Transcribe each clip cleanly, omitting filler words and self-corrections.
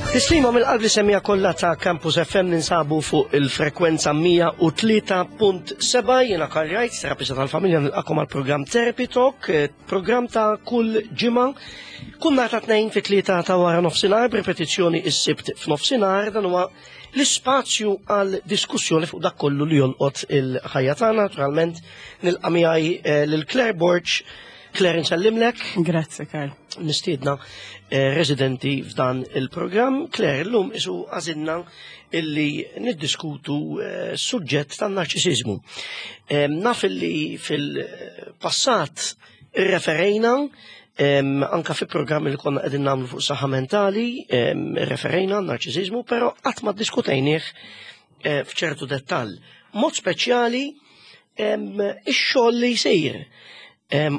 Tislima mill-qalb li semmija kollha ta' Campus FM ninsabu fuq il-frekwenza 103.7 jiena Karl Wright, terapista tal-familja nilqakom għal programm Therapy Talk, eh, programm ta' kull ġimgħa. Kull nhar ta' tnejn fit-tlieta ta' wara nofsinhar b'ripetizzjoni s-sibt f'nofsinhar dan huwa l-ispazju għal diskussjoni fuq dak kollu li jolqot il-ħajja tagħna, naturalment nilqa' miegħi eh, lil Claire Borg. Claire nsellimlek. Grazzi, Karl. Mistiedna eh, residenti f'dan il-programm. Claire, llum isu għażilna illi niddiskutu eh, suġġett tan-narċisiżmu. Naf illi fil-passat irreferejna anka fi programmi li konna qegħdin nagħmlu fuq saħħa mentali, referejna narċisiżmu, però qatt ma ddiskutejnieh eh, f'ċertu dettall. Mod speċjali ix-xogħol li jsir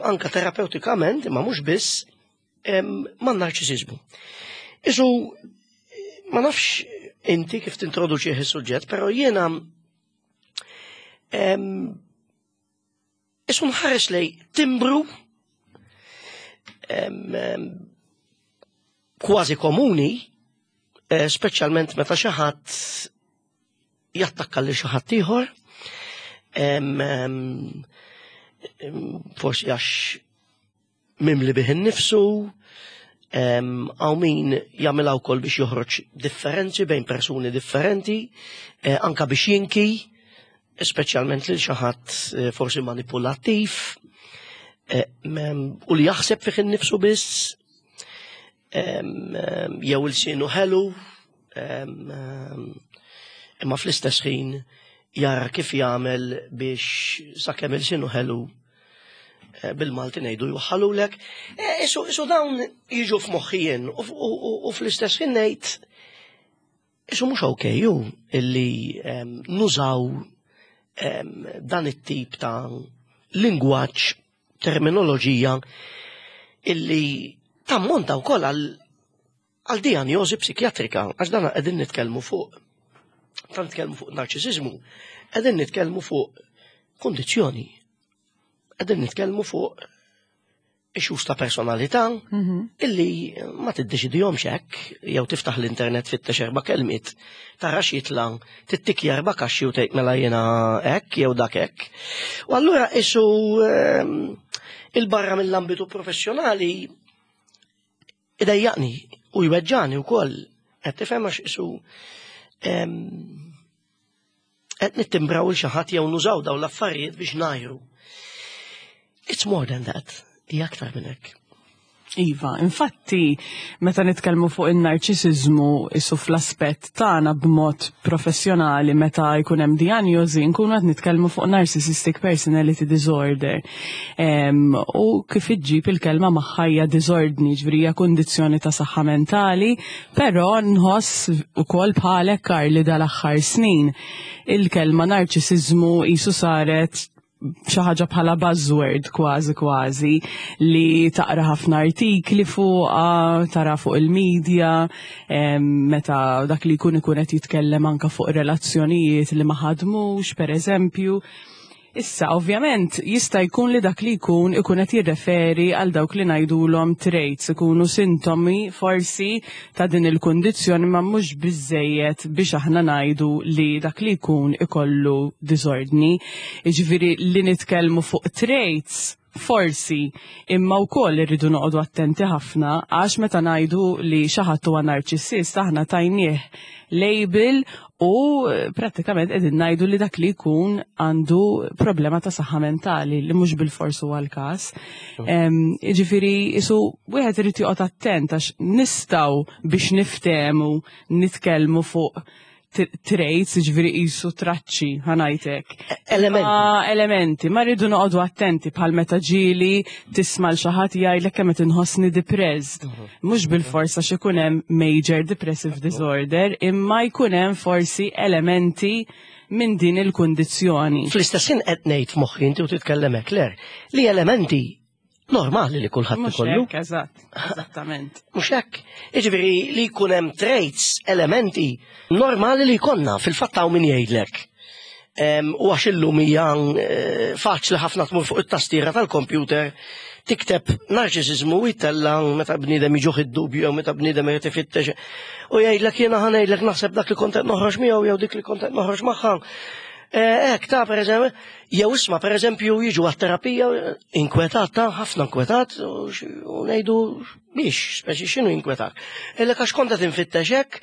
anka terapeutikament, imma mhux biss, man narċisiżmu. Isu, ma nafx inti kif tintroduċi is-suġġett, però jiena Isu nħares lej timbru kważi komuni, eh, speċjalment meta xi ħadd jattakka lil xi ħadd ieħor, forsi għax mimli bih innifsu, hawn min jagħmilha wkoll biex joħroġ differenzi bejn persuni differenti, eh, anka biex jinki, speċjalment lil xi ħadd eh, forsi manipulattiv, eh, u li jaħseb fih innifsu biss, jew il-sinu ħelu, imma fl-istess ħin jara kif jagħmel biex sakemm il-sinu ħelu eh, bil-Malti ngħidu jwaħħalulek. Eh, isu isu dawn jiġu f'moħħijien u fl-istess ħin ngħid isu mhux ok ju illi nużaw dan it-tip ta' lingwaġġ terminoloġija illi tammonta wkoll għal għal dijanjosi psikjatrika, għax dan qegħdin nitkellmu fuq tant nitkellmu fuq narċisiżmu, qegħdin nitkellmu fuq kondizzjoni, qegħdin nitkellmu fuq issues ta' personalità mhm. illi ma tiddeċidihomx hekk jew tiftaħ l-internet fittex erba' kelmiet tara x'jitla' tittikja erba' kaxxi u tgħid mela jiena hekk jew dak hekk. U allura isu ehm, il-barra mill-ambitu professjonali idejjaqni u jweġġani wkoll qed tifhem għax isu ehm, qed nittimbraw il xi ħadd jew nużaw dawn l-affarijiet biex ngħajru. It's more than that, hija aktar minn hekk. Iva, infatti, meta nitkellmu fuq in-narċisiżmu isu fl-aspett tagħna b'mod professjonali meta jkun hemm dijanjosi nkunu qed nitkellmu fuq narcissistic personality disorder. U kif iġġib il-kelma magħha hija diżordni, ġifieri hija kundizzjoni ta' saħħa mentali Però nħoss ukoll bħalek Karli dal-aħħar snin il-kelma narċisiżmu qisu saret xi ħaġa bħala buzzword kważi kważi li taqra ħafna artikli fuqha, tara fuq il-medja, meta dak li jkun ikun qed jitkellem anka fuq relazzjonijiet li ma ħadmux, pereżempju. Issa, ovvjament, jista' jkun li dak li jkun ikun qed jirreferi għal dawk li ngħidulhom traits, ikunu sintomi forsi ta' din il-kundizzjoni ma mhux biżejjed biex aħna ngħidu li dak li jkun ikollu diżordni. Jiġifieri li nitkellmu fuq traits forsi, imma wkoll irridu noqogħdu attenti ħafna għax meta ngħidu li xi ħadd huwa narċissist aħna tajnieh label u eh, prattikament qegħdin ngħidu li dak li jkun għandu problema ta' saħħa mentali li mhux bil-fors huwa l-każ. Jiġifieri isu wieħed irid joqgħod attent għax nistgħu biex niftehmu nitkellmu fuq traits, ġviri jisu traċċi, ħanajtek. Elementi. Elementi, ma rridu noqogħdu attenti bħal meta ġieli tisma' l xi ħadd jgħidlek kemm qed inħossni depressed. Mhm. Mhux bil-fors għax ikun hemm major depressive disorder, imma jkun hemm forsi elementi minn din il-kundizzjoni. Fl-istess ħin qed ngħid f'moħħi inti u titkellem hekk, Claire, li elementi normali li kulħadd ikollu. Mhux hekk, eżatt, eżattament. Mhux hekk. Jiġifieri li jkun hemm traits, elementi normali li jkollna fil-fatt hawn min jgħidlek. U għax illum hija eh, faċli ħafna tmur fuq it-tastiera tal-kompjuter Tikteb narċisiżmu u jtella meta bniedem jiġuh id-dubju jew meta bniedem irid ifittex u jgħidlek jiena ħa ngħidlek naħseb dak li kont qed noħroġ miegħu jew dik li kont qed noħroġ magħha. Eh, hekk ta' pereżempju, jew isma' pereżempju jiġu għat-terapija inkwetat ta' ħafna inkwetat u ngħidu biex, speċi x'inhu inkwetat. Illek għax kont qed infittex hekk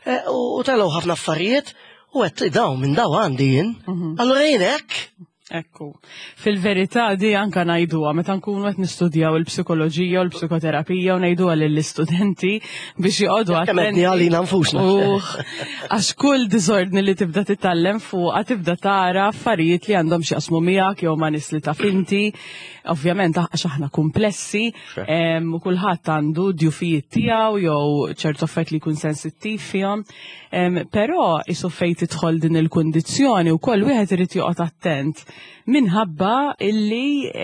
eh, u telgħu ħafna affarijiet u qed daw minn daw għandi jien. Mhm. Allura jien hekk Ekku. Fil-verità di anka ngħiduha meta nkunu qed nistudjaw il-psikoloġija u l-psikoterapija u ngħiduha lill-istudenti biex joqogħdu attenti. għalina nfusna. Għax kull diżordni li tibda titgħallem fuqha tibda tara affarijiet li għandhom x'jaqsmu miegħek jew ma' nies li taf inti. Ovvjament għax aħna komplessi u kulħadd għandu djufijiet tiegħu jew ċertu affarijiet li jkun sensittiv fihom. Però isu fejn tidħol din il-kundizzjoni wkoll wieħed irid joqgħod attent minħabba illi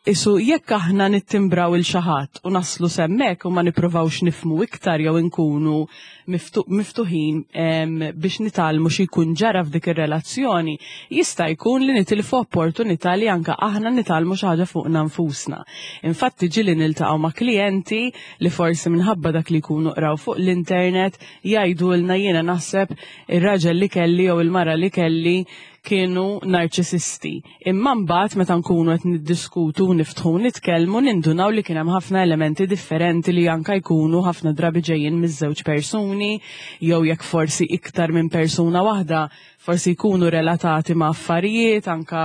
isu jekk aħna nittimbraw il xi ħadd u naslu s'hemmhekk u ma nippruvawx nifhmu iktar jew inkunu miftuħin biex nitgħallmu xi jkun ġara f'dik ir-relazzjoni, jista' jkun li nitilfu opportunità li anke aħna nitgħallmu xi ħaġa fuqna nfusna. Infatti ġieli niltaqgħu ma' klijenti li forsi minħabba dak li jkunu qraw fuq l-internet jgħidulna jiena naħseb ir-raġel li kelli jew il-mara li kelli kienu narċisisti. Imma mbagħad meta nkunu qed niddiskutu u niftħu u nitkellmu nindunaw li kien hemm ħafna elementi differenti li anka jkunu ħafna drabi ġejjin miż-żewġ persuni jew jekk forsi iktar minn persuna waħda forsi jkunu relatati ma' affarijiet anka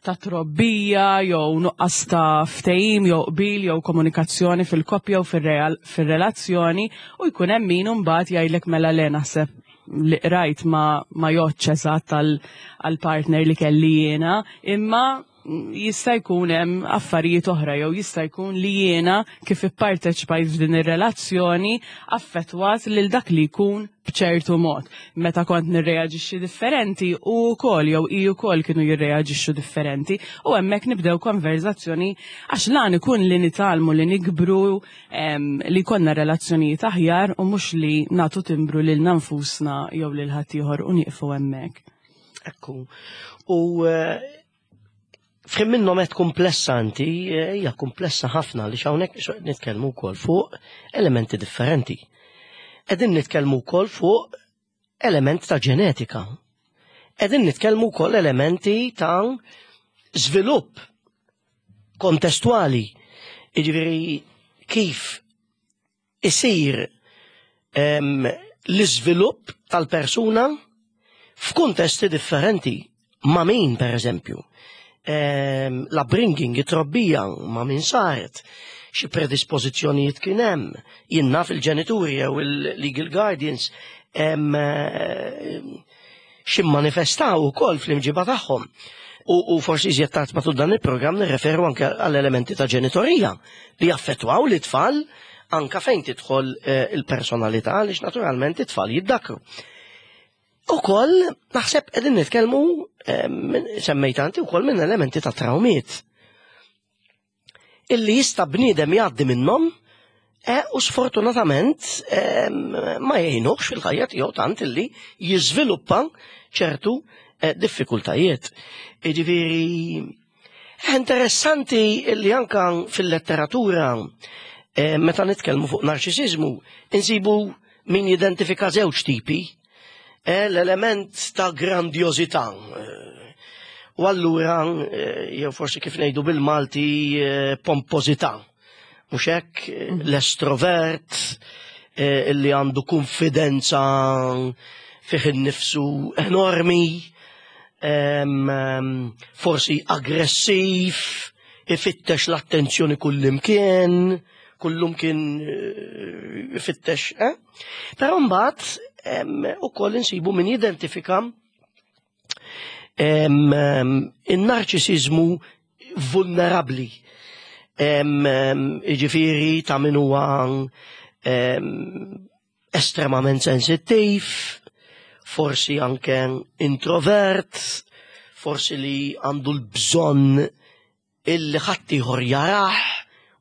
ta' trobbija jew nuqqas ta' ftehim jew qbil jew komunikazzjoni fil-koppja u fir-relazzjoni u jkun hemm min imbagħad jgħidlek mela le naħseb li qrajt ma, ma jgħoddx eżatt għall-partner li kelli jiena, imma jista' jkun hemm affarijiet oħra jew jista' jkun li jiena kif ipparteċipajt f'din ir-relazzjoni affettwat lil dak li jkun b'ċertu mod. Meta kont nirreaġixxi differenti u wkoll jew hi wkoll kienu jirreaġixxu differenti u hemmhekk nibdew konverzazzjoni għax lan ikun li nitgħallmu li nikbru li jkollna relazzjonijiet aħjar u mhux li nagħtu timbru lilna nfusna jew lil ħaddieħor u nieqfu hemmhekk. Ekku. U eh, f'ħin minnhom qed komplessa inti, eh, hija komplessa ħafna li hawnhekk nitkellmu wkoll fuq elementi differenti. Qegħdin nitkellmu wkoll fuq element ta' ġenetika. Qegħdin nitkellmu wkoll elementi ta' żvilupp kontestwali. Jiġifieri kif isir l-iżvilupp tal-persuna f'kuntesti differenti. Ma' min, per eżempju. L-upbringing, it-trobbija, ma' min saret, xi predispożizzjonijiet kien hemm, jien naf il-ġenituri jew il-legal guardians xi manifestaw ukoll fl-imġiba tagħhom. U, u forsi iżjed tard matul dan il-programm nirreferu anke għall-elementi ta' ġenitorija li jaffettwaw li tfal anka fejn tidħol eh, il-personalità għaliex naturalment it-tfal jiddakru. Ukoll naħseb qegħdin nitkellmu eh, semmejt anti wkoll minn elementi ta' trawmiet illi jista' bniedem jgħaddi minnhom e, u sfortunatament e, ma jgħinuhx fil-ħajja tiegħu tant illi jiżviluppa ċertu e, diffikultajiet. Jiġifieri interessanti illi anka fil-letteratura e, meta nitkellmu fuq narċisiżmu insibu min jidentifika żewġ tipi Eh, l-element ta' grandjożità. Eh, u allura, eh, jew forsi kif ngħidu bil-Malti, pompożità. Mhux hekk mhm. l-estrovert illi għandu konfidenza fih innifsu enormi, forsi aggressiv, ifittex l-attenzjoni kullimkien, kullumkien ifittex, eh? Però mbagħad ukoll insibu min jidentifika in-narċisiżmu vulnerabbli. Jiġifieri ta' min huwa estremament sensittiv, forsi anke introvert, forsi li għandu l-bżonn illi ħaddieħor jarah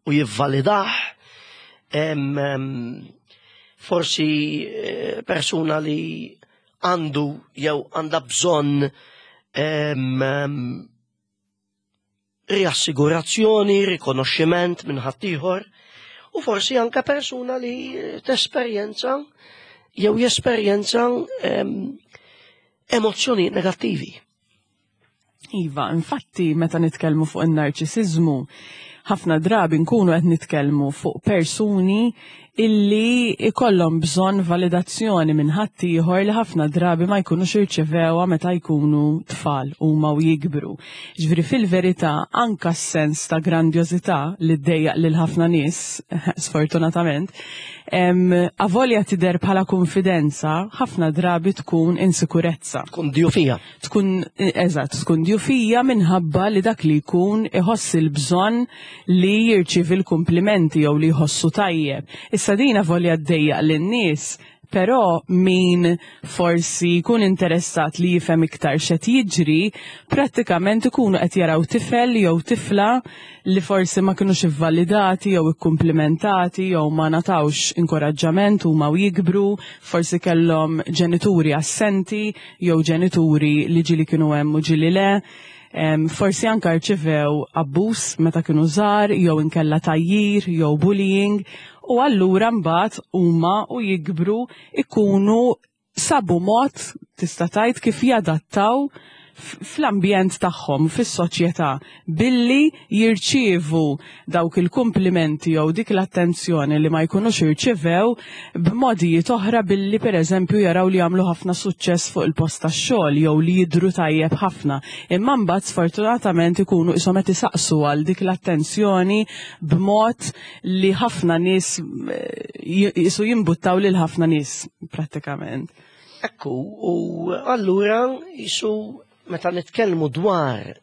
u jivvalidah. Forsi eh, persuna li għandu jew għandha bżonn riassigurazzjoni, rikonoxximent minn ħaddieħor u forsi anka persuna li tesperjenza jew jesperjenza emozzjoni negattivi. Iva, infatti meta nitkellmu fuq in-narċisiżmu, ħafna drabi nkunu qed nitkellmu fuq persuni illi ikollhom bżonn validazzjoni minn ħaddieħor li ħafna drabi ma jkunux irċevewha meta jkunu tfal huma u jikbru. Ġifieri fil-verità anka s-sens ta' grandjożità li ddejjaq lil ħafna nies, sfortunatament, avolja tidher bħala kunfidenza, ħafna drabi tkun insikurezza. Tkun djufija. Tkun, eżatt, tkun djufija minħabba li dak li jkun iħoss il-bżonn li jirċievi l-kumplimenti jew li jħossu tajjeb. Issa din avolja ddejjaq lin-nies, però min forsi jkun interessat li jifhem iktar x'qed jiġri, prattikament ikunu qed jaraw tifel jew tifla li forsi ma kinux ivvalidati jew ikkumplimentati jew ma ngħatawx inkoraġġament huma u jikbru, forsi kellhom ġenituri assenti jew ġenituri li ġieli kienu hemm u ġieli le. Forsi anka rċivew abbuż meta kienu żgħar jew inkella tgħajjir jew bullying u allura mbagħad huma u jikbru ikunu sabu mod tista' tgħid kif jadattaw fl-ambjent tagħhom, fis-soċjetà, billi jirċievu dawk il-kumplimenti jew dik l-attenzjoni li ma jkunux irċivew b'modijiet oħra billi pereżempju jaraw li jagħmlu ħafna suċċess fuq il-post tax-xogħol jew li jidhru tajjeb ħafna. Imma mbagħad sfortunatament ikunu qishom qed isaqsu għal dik l-attenzjoni b'mod li ħafna nies jisu jimbuttaw lil ħafna nies prattikament. Ekku, u allura jisu meta nitkellmu dwar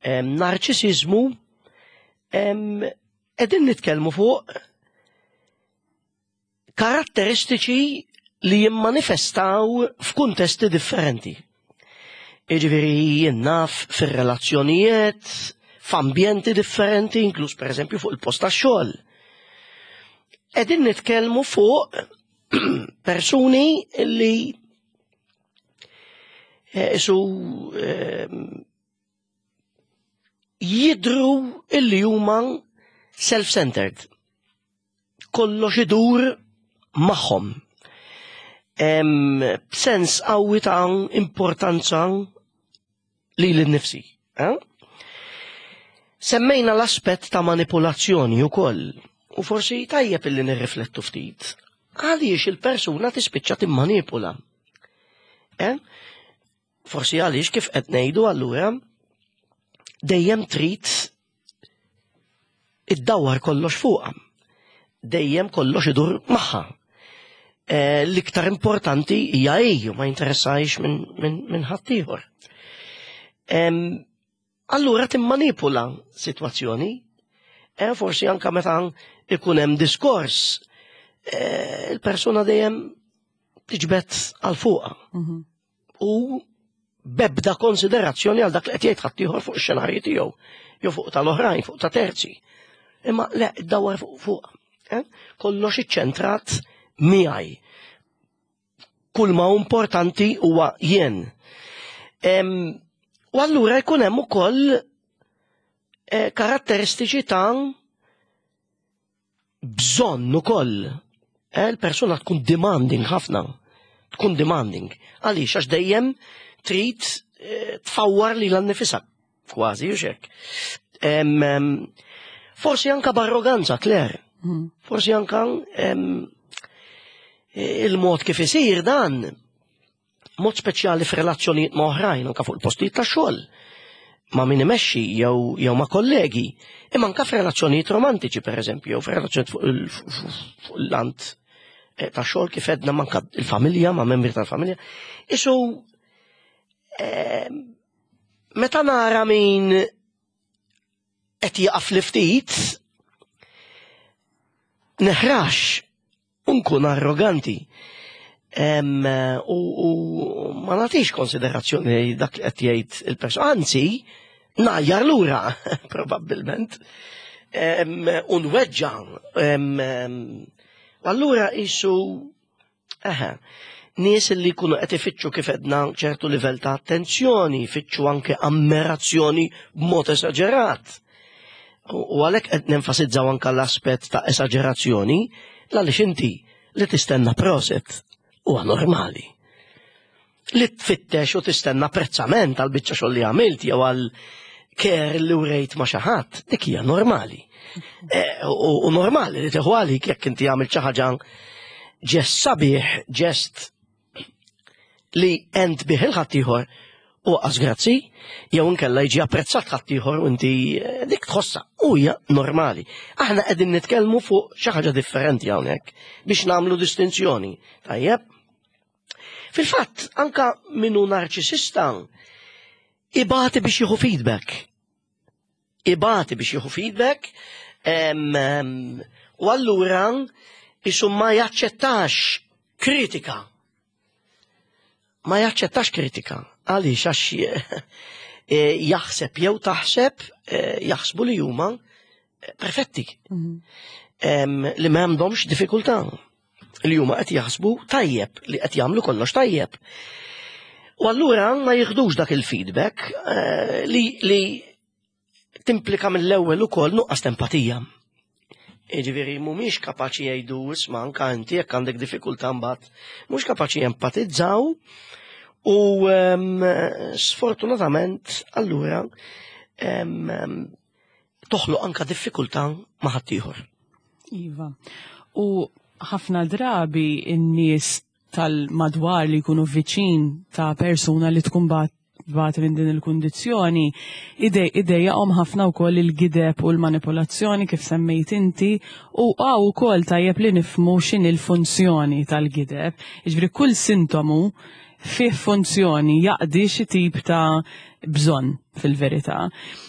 narċisiżmu qegħdin nitkellmu fuq karatteristiċi li jimmanifestaw f'kuntesti differenti. Jiġifieri jien naf fir-relazzjonijiet, f'ambjenti differenti, inkluż pereżempju fuq il-post tax-xogħol. Qegħdin nitkellmu fuq persuni li eh, isu eh, jidru illi huma self-centered. Kollox idur magħhom. B'sens qawwi ta' importanza lili nnifsi. Eh? Semmejna l-aspett ta' manipulazzjoni wkoll u forsi tajjeb illi nirriflettu ftit. Għaliex il-persuna tispiċċa timmanipula? Eh? Forsi għaliex kif qed ngħidu allura dejjem trid iddawwar kollox fuqha. Dejjem kollox idur magħha. Eh, l-iktar importanti hija hi ma jinteressajx minn min, min ħaddieħor. Allura timmanipula sitwazzjoni, eh, forsi anka meta ikun hemm diskors, eh, il-persuna dejjem tiġbed għal fuqha. Mhm. U bebda konsiderazzjoni għal dak li qed jgħid ħaddieħor fuq ix-xenarji tiegħu, jew fuq tal-oħrajn, fuq ta' terzi. Imma le, dawar fuq fuq. Eh? Kollox iċċentrat miegħi. Kull ma importanti huwa jien. U allura jkun hemm ukoll eh, karatteristiċi ta' bżonn ukoll. Eh, il-persuna tkun demanding ħafna. Tkun demanding. Għaliex għax dejjem trid eh, tfawwar li l-annifisa. Kważi, u xek. Forsi anka b'arroganza, Claire. Mm. Forsi anka il-mod kif isir dan mod speċjali f'relazzjonijiet ma' oħrajn, anka fuq il-postijiet ta' xogħol, ma' min imexxi jew jew ma' kollegi, imma anka f'relazzjonijiet romantiċi pereżempju, jew f'relazzjonijiet fuq il-lant eh, ta' xogħol kif edna manka il-familja, ma' membri tal-familja. Isu eh, meta nara min qed jaqaf li ftit neħrax u nkun arroganti. U ma nagħtix konsiderazzjoni dak li qed jgħid il-persuna, anzi, ngħajjar lura probabbilment. U nweġġa. Allura isu eħe, Nies li jkunu qed ifittxu kif edna ċertu livell ta' attenzjoni, jfittxu anke ammirazzjoni b'mod esaġerat. U għalhekk qed nenfasizzaw anke l-aspett ta' esaġerazzjoni, għaliex inti li tistenna proset huwa normali. Li tfittex u tistenna apprezzament għal biċċa xogħol li għamilt jew għal ker li urejt ma' xi ħadd, dik hija normali. Eh, u normali li teħu għalik jekk inti għamilt xi ħaġa ġest sabiħ, ġest li ent bih il-ħaddieħor u għas grazzi, jew inkella jiġi apprezzat ħaddieħor u inti eh, dik tħossa u hija normali. Aħna qegħdin nitkellmu fuq xi ħaġa differenti hawnhekk biex nagħmlu distinzjoni. Tajjeb? Fil-fatt, anka minnu narċisista ibati biex jieħu feedback. Ibati biex jieħu feedback u allura isu ma jaċċettax kritika. Ma jaċċettax kritika. Għaliex għax eh, jaħseb jew taħseb eh, jaħsbu li huma perfetti. Mhm. Li ma għandhomx diffikultà. Li huma qed jaħsbu tajjeb, li qed jagħmlu kollox tajjeb. U allura ma jieħdux dak il-feedback eh, li, li timplika mill-ewwel ukoll nuqqas empatija. Jiġifieri mhumiex kapaċi jgħidu isma' anka inti jekk għandek diffikultà mbagħad, mhux kapaċi jempatizzaw u um, sfortunatament allura um, toħloq anka diffikultà ma' ħaddieħor. Iva. U ħafna drabi n-nies tal-madwar li jkunu viċin ta' persuna li tkun bat bat minn din il-kundizzjoni, idejjaqhom ħafna wkoll il-gideb u l-manipolazzjoni kif semmejt inti u għaw ukoll tajjeb li nifmu x'in il-funzjoni tal-gideb. Jiġifieri kull sintomu fih funzjoni jaqdi xi tip ta' bżonn fil-verità.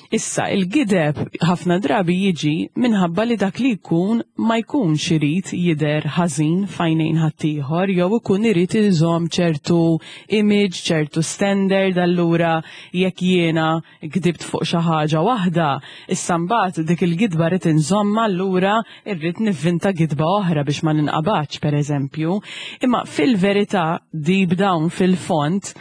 Issa, il-gideb ħafna drabi jiġi minħabba li dak li jkun ma jkunx irid jidher ħażin f'għajnejn ħaddieħor jew ikun irid iżomm ċertu image, ċertu standard, allura jekk jiena gdibt fuq xi ħaġa waħda, issa mbagħad dik il-gidba rrid inżommha allura rrid nivvinta gidba oħra biex ma ninqabadx pereżempju. Imma fil-verità deep down fil-fond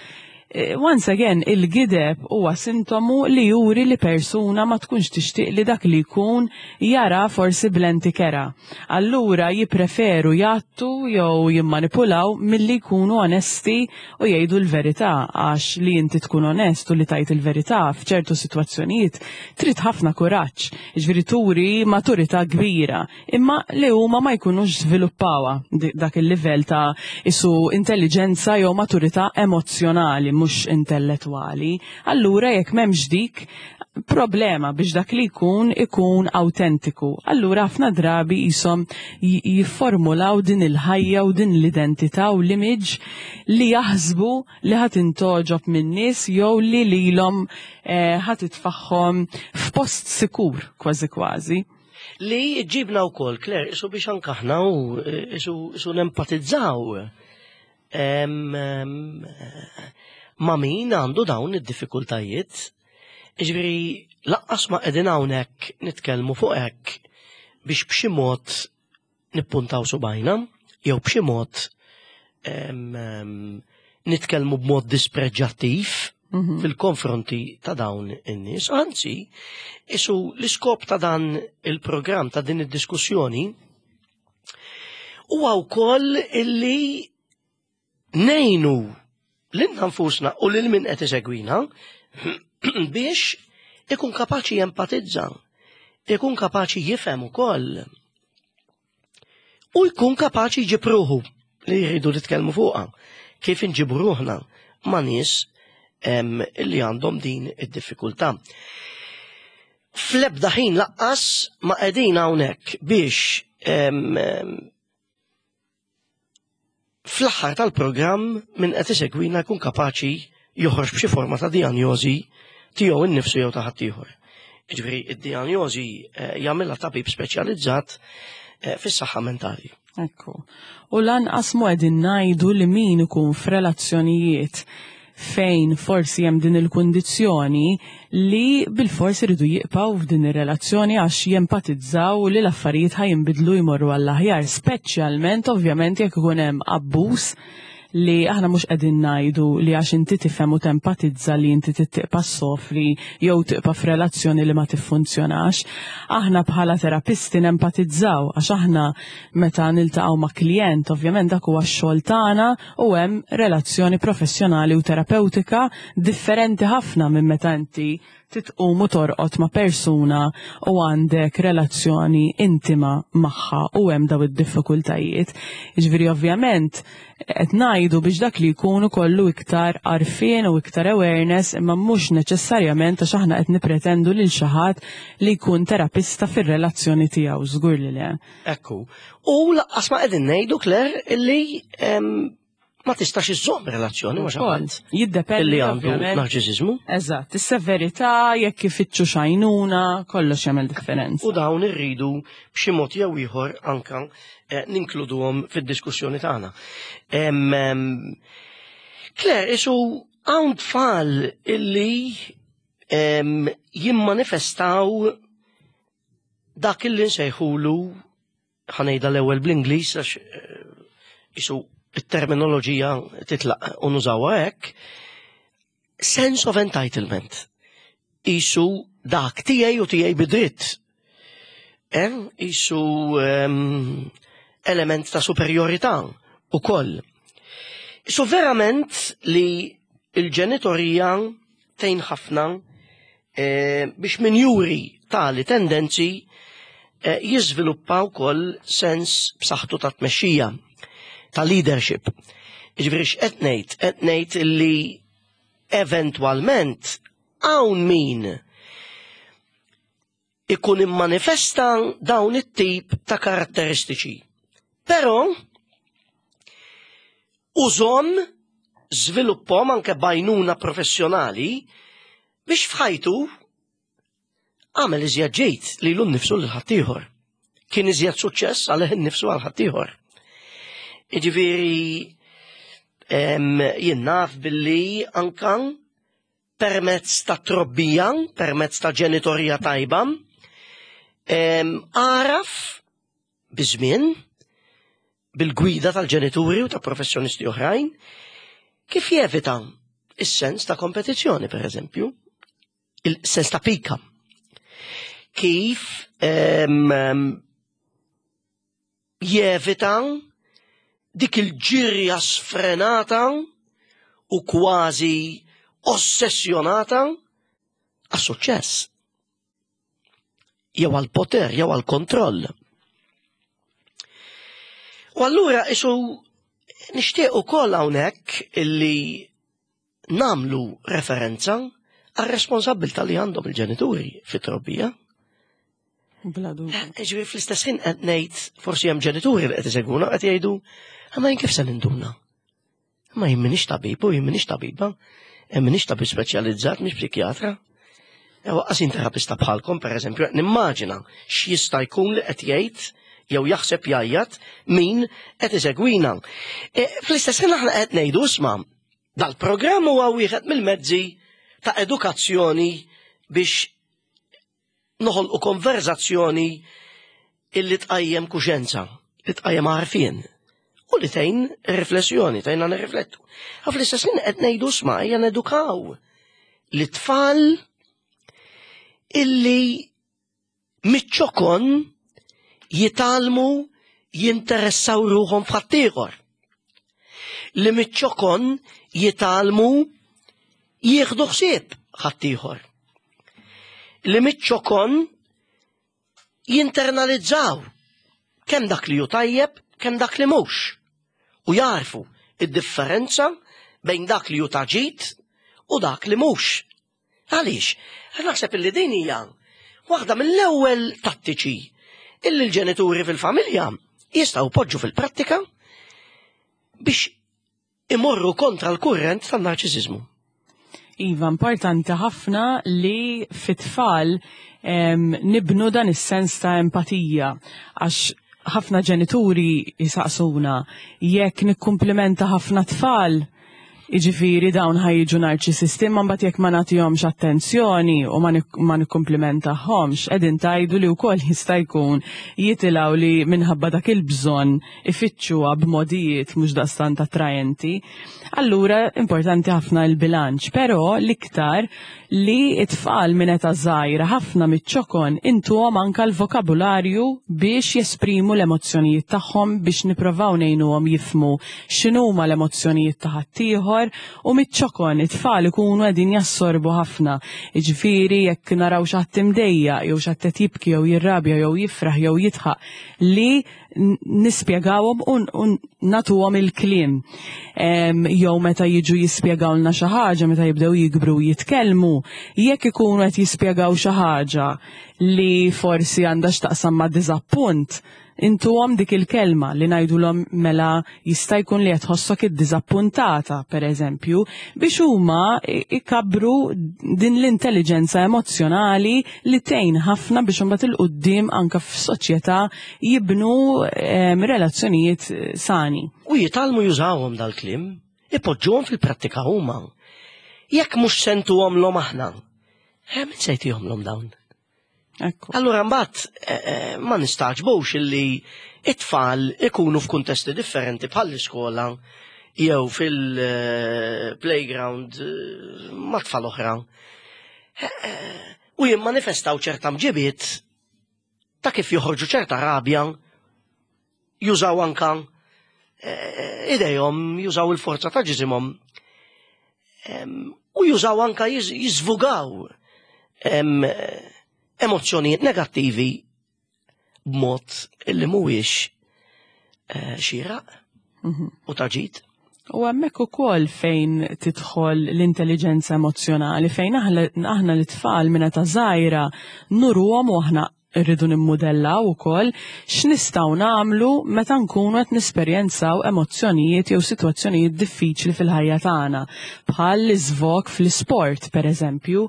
Eh, once again, il-gideb huwa sintomu li juri li persuna ma tkunx tixtieq li dak li jkun jara forsi blenti kera. Allura jippreferu jgħattu jew jimmanipulaw milli jkunu onesti u jgħidu l-verità għax li inti tkun onest u li tajt il-verità f'ċertu sitwazzjonijiet trid ħafna kuraġġ, jiġifieri turi maturità kbira imma li huma ma jkunux żviluppawha dak il-livell ta' isu intelliġenza jew maturità emozzjonali mhux intellettwali. Allura jekk m'hemmx dik problema biex dak li jkun ikun awtentiku. Allura ħafna drabi jisom jifformulaw din il-ħajja u din l-identità u l-image li jaħsbu li ħat intoġob minn nies jew li lilhom eh, ħat itfaħħom f'post sikur kważi kważi. Li ġibna wkoll, Claire, isu biex anke aħna u isu, isu nempatizzaw ma' min għandu dawn id-diffikultajiet. Ġifieri laqqas ma qegħdin hawnhekk nitkellmu fuq hekk biex b'xi mod nippuntaw subajna jew b'xi mod nitkellmu b'mod dispreġġattiv mhm. fil-konfronti ta' dawn in-nies. Anzi, isu l-iskop ta' dan il-programm ta' din id-diskussjoni huwa wkoll illi Ngħinu lilna nfusna u lil min qed isegwina biex ikun kapaċi jempatizza, ikun kapaċi jifhem ukoll u jkun kapaċi jġib ruħu li jridu nitkellmu fuqha kif inġibu ruħna ma' nies li għandhom din id-diffikultà. Fl-ebda ħin laqqas ma qegħdin hawnhekk biex Fl-aħħar tal-programm min qed isegwina jkun kapaċi joħroġ b'xi forma ta' dijanjożi tiegħu innifsu jew ta' ħaddieħor. Jiġifieri id-dijanjożi eh, jagħmilha tabib speċjalizzat eh, fis-saħħa mentali. Ekku. U lanqas mu qegħdin ngħidu li min ikun f'relazzjonijiet fejn forsi hemm din il-kundizzjoni li bilfors iridu jibqgħu f'din ir-relazzjoni għax jempatizzaw li l-affarijiet ħa jinbidlu jmorru għall-aħjar, speċjalment ovvjament jekk ikun hemm abbuż. li aħna mhux qegħdin ngħidu li għax inti tifhem u tempatizza li inti tibqa' ssofri jew tibqa' f'relazzjoni li ma tiffunzjonax. Aħna bħala terapisti nempatizzaw għax aħna meta niltaqgħu ma' klijent, ovvjament dak huwa x-xogħol tagħna u hemm relazzjoni professjonali u terapewtika differenti ħafna minn meta inti titqum u torqod ma' persuna u għandek relazzjoni intima magħha u hemm daw id-diffikultajiet. Jiġifieri ovvjament qed ngħidu biex dak li jkun ikollu iktar għarfien u iktar awareness imma mhux neċessarjament għax aħna qed nippretendu lil xi ħadd li jkun terapista fir-relazzjoni tiegħu, żgur li le. Ekku. U laqqas ma qegħdin ngħidu Claire illi ma tistax iżżomm relazzjoni ma' xi ħadd. Jiddependi li għandu narċiżiżmu. Eżatt, is-severità jekk ifittxu xajnuna, kollox jagħmel differenza. U dawn irridu b'xi mod jew ieħor anka eh, ninkluduhom fid-diskussjoni tagħna. Claire, isu hawn tfal illi jimmanifestaw dak illi nsejħulu ħanejda l-ewwel bl-Ingliż għax eh, isu it-terminoloġija titlaq u nużawha hekk, sense of entitlement. Isu dak tiegħi u tiegħi bidritt. Eh, isu um, element ta' superjorità u koll. Isu verament li il-ġenitorija tgħin ħafna eh, biex min juri tali tendenzi eh, jiżviluppa wkoll sens b'saħħtu ta' tmexxija, ta' leadership. Jiġifieri x'qed ngħid? Qed ngħid li eventwalment hawn min ikun immanifesta dawn it-tip ta' karatteristiċi. Però użhom żviluppahom anke b'għajnuna professjonali biex f'ħajtu għamel iżjed ġid lilu nnifsu lil ħaddieħor. Kien iżjed suċċess għalih innifsu għal ħaddieħor. Jiġifieri jien naf billi anka permezz ta' trobbija, permezz ta' ġenitorija tajba, għaraf biż-żmien, bil-gwida tal-ġenituri u ta' professjonisti oħrajn, kif jevita is-sens ta' kompetizzjoni, per eżempju, il-sens ta' pika. Kif jevita dik il-ġirja sfrenata u kważi ossessjonata għas-suċċess. Jew għall-poter, jew għall-kontroll. U allura isu nixtieq ukoll hawnhekk illi nagħmlu referenza għar-responsabbiltà li għandhom il-ġenituri fit-trobbija. Bla dubju. Eh, ġifieri fl-istess ħin qed ngħid forsi hemm ġenituri li qed isegwuna qed jgħidu ma jien kif se ninduna? Ma jien m'iniex tabib u jien m'iniex tabiba, eh, m'iniex tabib speċjalizzat, mhix psikjatra. Ewa eh, qas terapista bħalkom, per eżempju, nimmaġina x'jista' jkun li qed jgħid jew jaħseb jgħajjat min qed isegwina. Fl-istess ħin aħna qed ngħidu isma' Dal-programm huwa wieħed mill-mezzi ta' edukazzjoni biex noħolqu konverzazzjoni illi tqajjem kuxenza, li tqajjem għarfien u li tgħin riflessjoni, tgħinna nirriflettu. Għaf l-istess ħin qed ngħidu sma' ejja nedukaw li tfal illi miċ-ċokon jitgħallmu jinteressaw ruħhom f'ħaddieħor. Li miċ-ċokon jitgħallmu jieħdu ħsieb ħaddieħor. Li miċ-ċokon jinternalizzaw kemm dak li hu tajjeb, kemm dak li mhux. U jarfu id-differenza bejn dak li hu ta' ġid u dak li mhux. Għaliex? Għax naħseb illi din hija waħda mill-ewwel tattiċi illi l-ġenituri fil-familja jistgħu poġġu fil-prattika biex imorru kontra l-kurrent tan-narċisiżmu. Iva, importanti ħafna li fit-tfal nibnu dan is-sens ta' empatija għax ħafna ġenituri jisaqsuna jekk nikkumplimenta ħafna tfal. Jiġifieri dawn ħa jiġu narċisisti imma mbagħad jekk ma nagħtihomx attenzjoni u ma nikkumplimentahomx qegħdin tgħidu li wkoll jista' jkun jitilgħu li minħabba dak il-bżonn ifittxuha b'modijiet mhux daqstant attraenti. Allura importanti ħafna l-bilanċ, però l-iktar li t-tfal minn età żgħira ħafna miċ-ċokon intuhom anke l-vokabularju biex jesprimu l-emozzjonijiet tagħhom biex nipprovaw ngħinuhom jifhmu x'inhuma l-emozzjonijiet ta' ħaddieħor u miċ-ċokon it-tfal ikunu qegħdin jassorbu ħafna. Jiġifieri jekk naraw xi ħadd imdejjaq jew xi ħadd qed jibki jew jirrabja jew jifraħ jew jidħaq li nispjegawhom u nagħtuhom il-kliem. Jew meta jiġu jispjegawlna xi ħaġa, meta jibdew jikbru jitkellmu, jekk ikunu qed jispjegaw xi ħaġa li forsi għandha x'taqsam ma' diżappunt, intuhom dik il-kelma li ngħidulhom mela jista' jkun li qed tħossok iddiżappuntata, pereżempju, biex huma ikabbru din l-intelliġenza emozzjonali li tgħin ħafna biex imbagħad 'il quddiem anke f'soċjetà jibnu ehm, relazzjonijiet sani. U jitgħallmu jużawhom dal-kliem, ipoġġuhom fil-prattika huma. Jekk mhux sentuhomlhom aħna, eh, min se jtihomlhom dawn? Ekku. Allura mbagħad eh, eh, ma nistaġbux illi it-tfal ikunu f'kuntesti differenti bħall-iskola jew fil-playground eh, ma' tfal oħra. U jimmanifestaw ċerta mġibiet ta' kif joħorġu ċerta rabja jużaw anka idejhom, jużaw il-forza ta' ġisimhom u jużaw anka jiżvugaw emozzjonijiet negattivi b'mod illi mhuwiex eh, xieraq mhm. u taġit. U hemmhekk ukoll fejn tidħol l-intelligenza emozjonali, fejn aħna l-tfal minn ta' żgħira nuruhom u aħna Irridu nimmudellaw ukoll x'nistgħu nagħmlu meta nkunu qed nesperjenzaw emozzjonijiet jew sitwazzjonijiet diffiċli fil-ħajja tagħna, bħal l-iżvog fl-isport, pereżempju,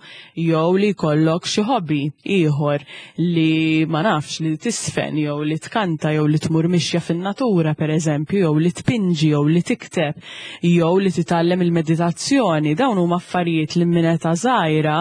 jew li jkollok xi hobby ieħor li ma nafx li tiżfen jew li tkanta jew li tmur mixja fin-natura, pereżempju, jew li tpinġi jew li tikteb jew li titgħallem il-meditazzjoni. Dawn huma affarijiet li minn età żgħira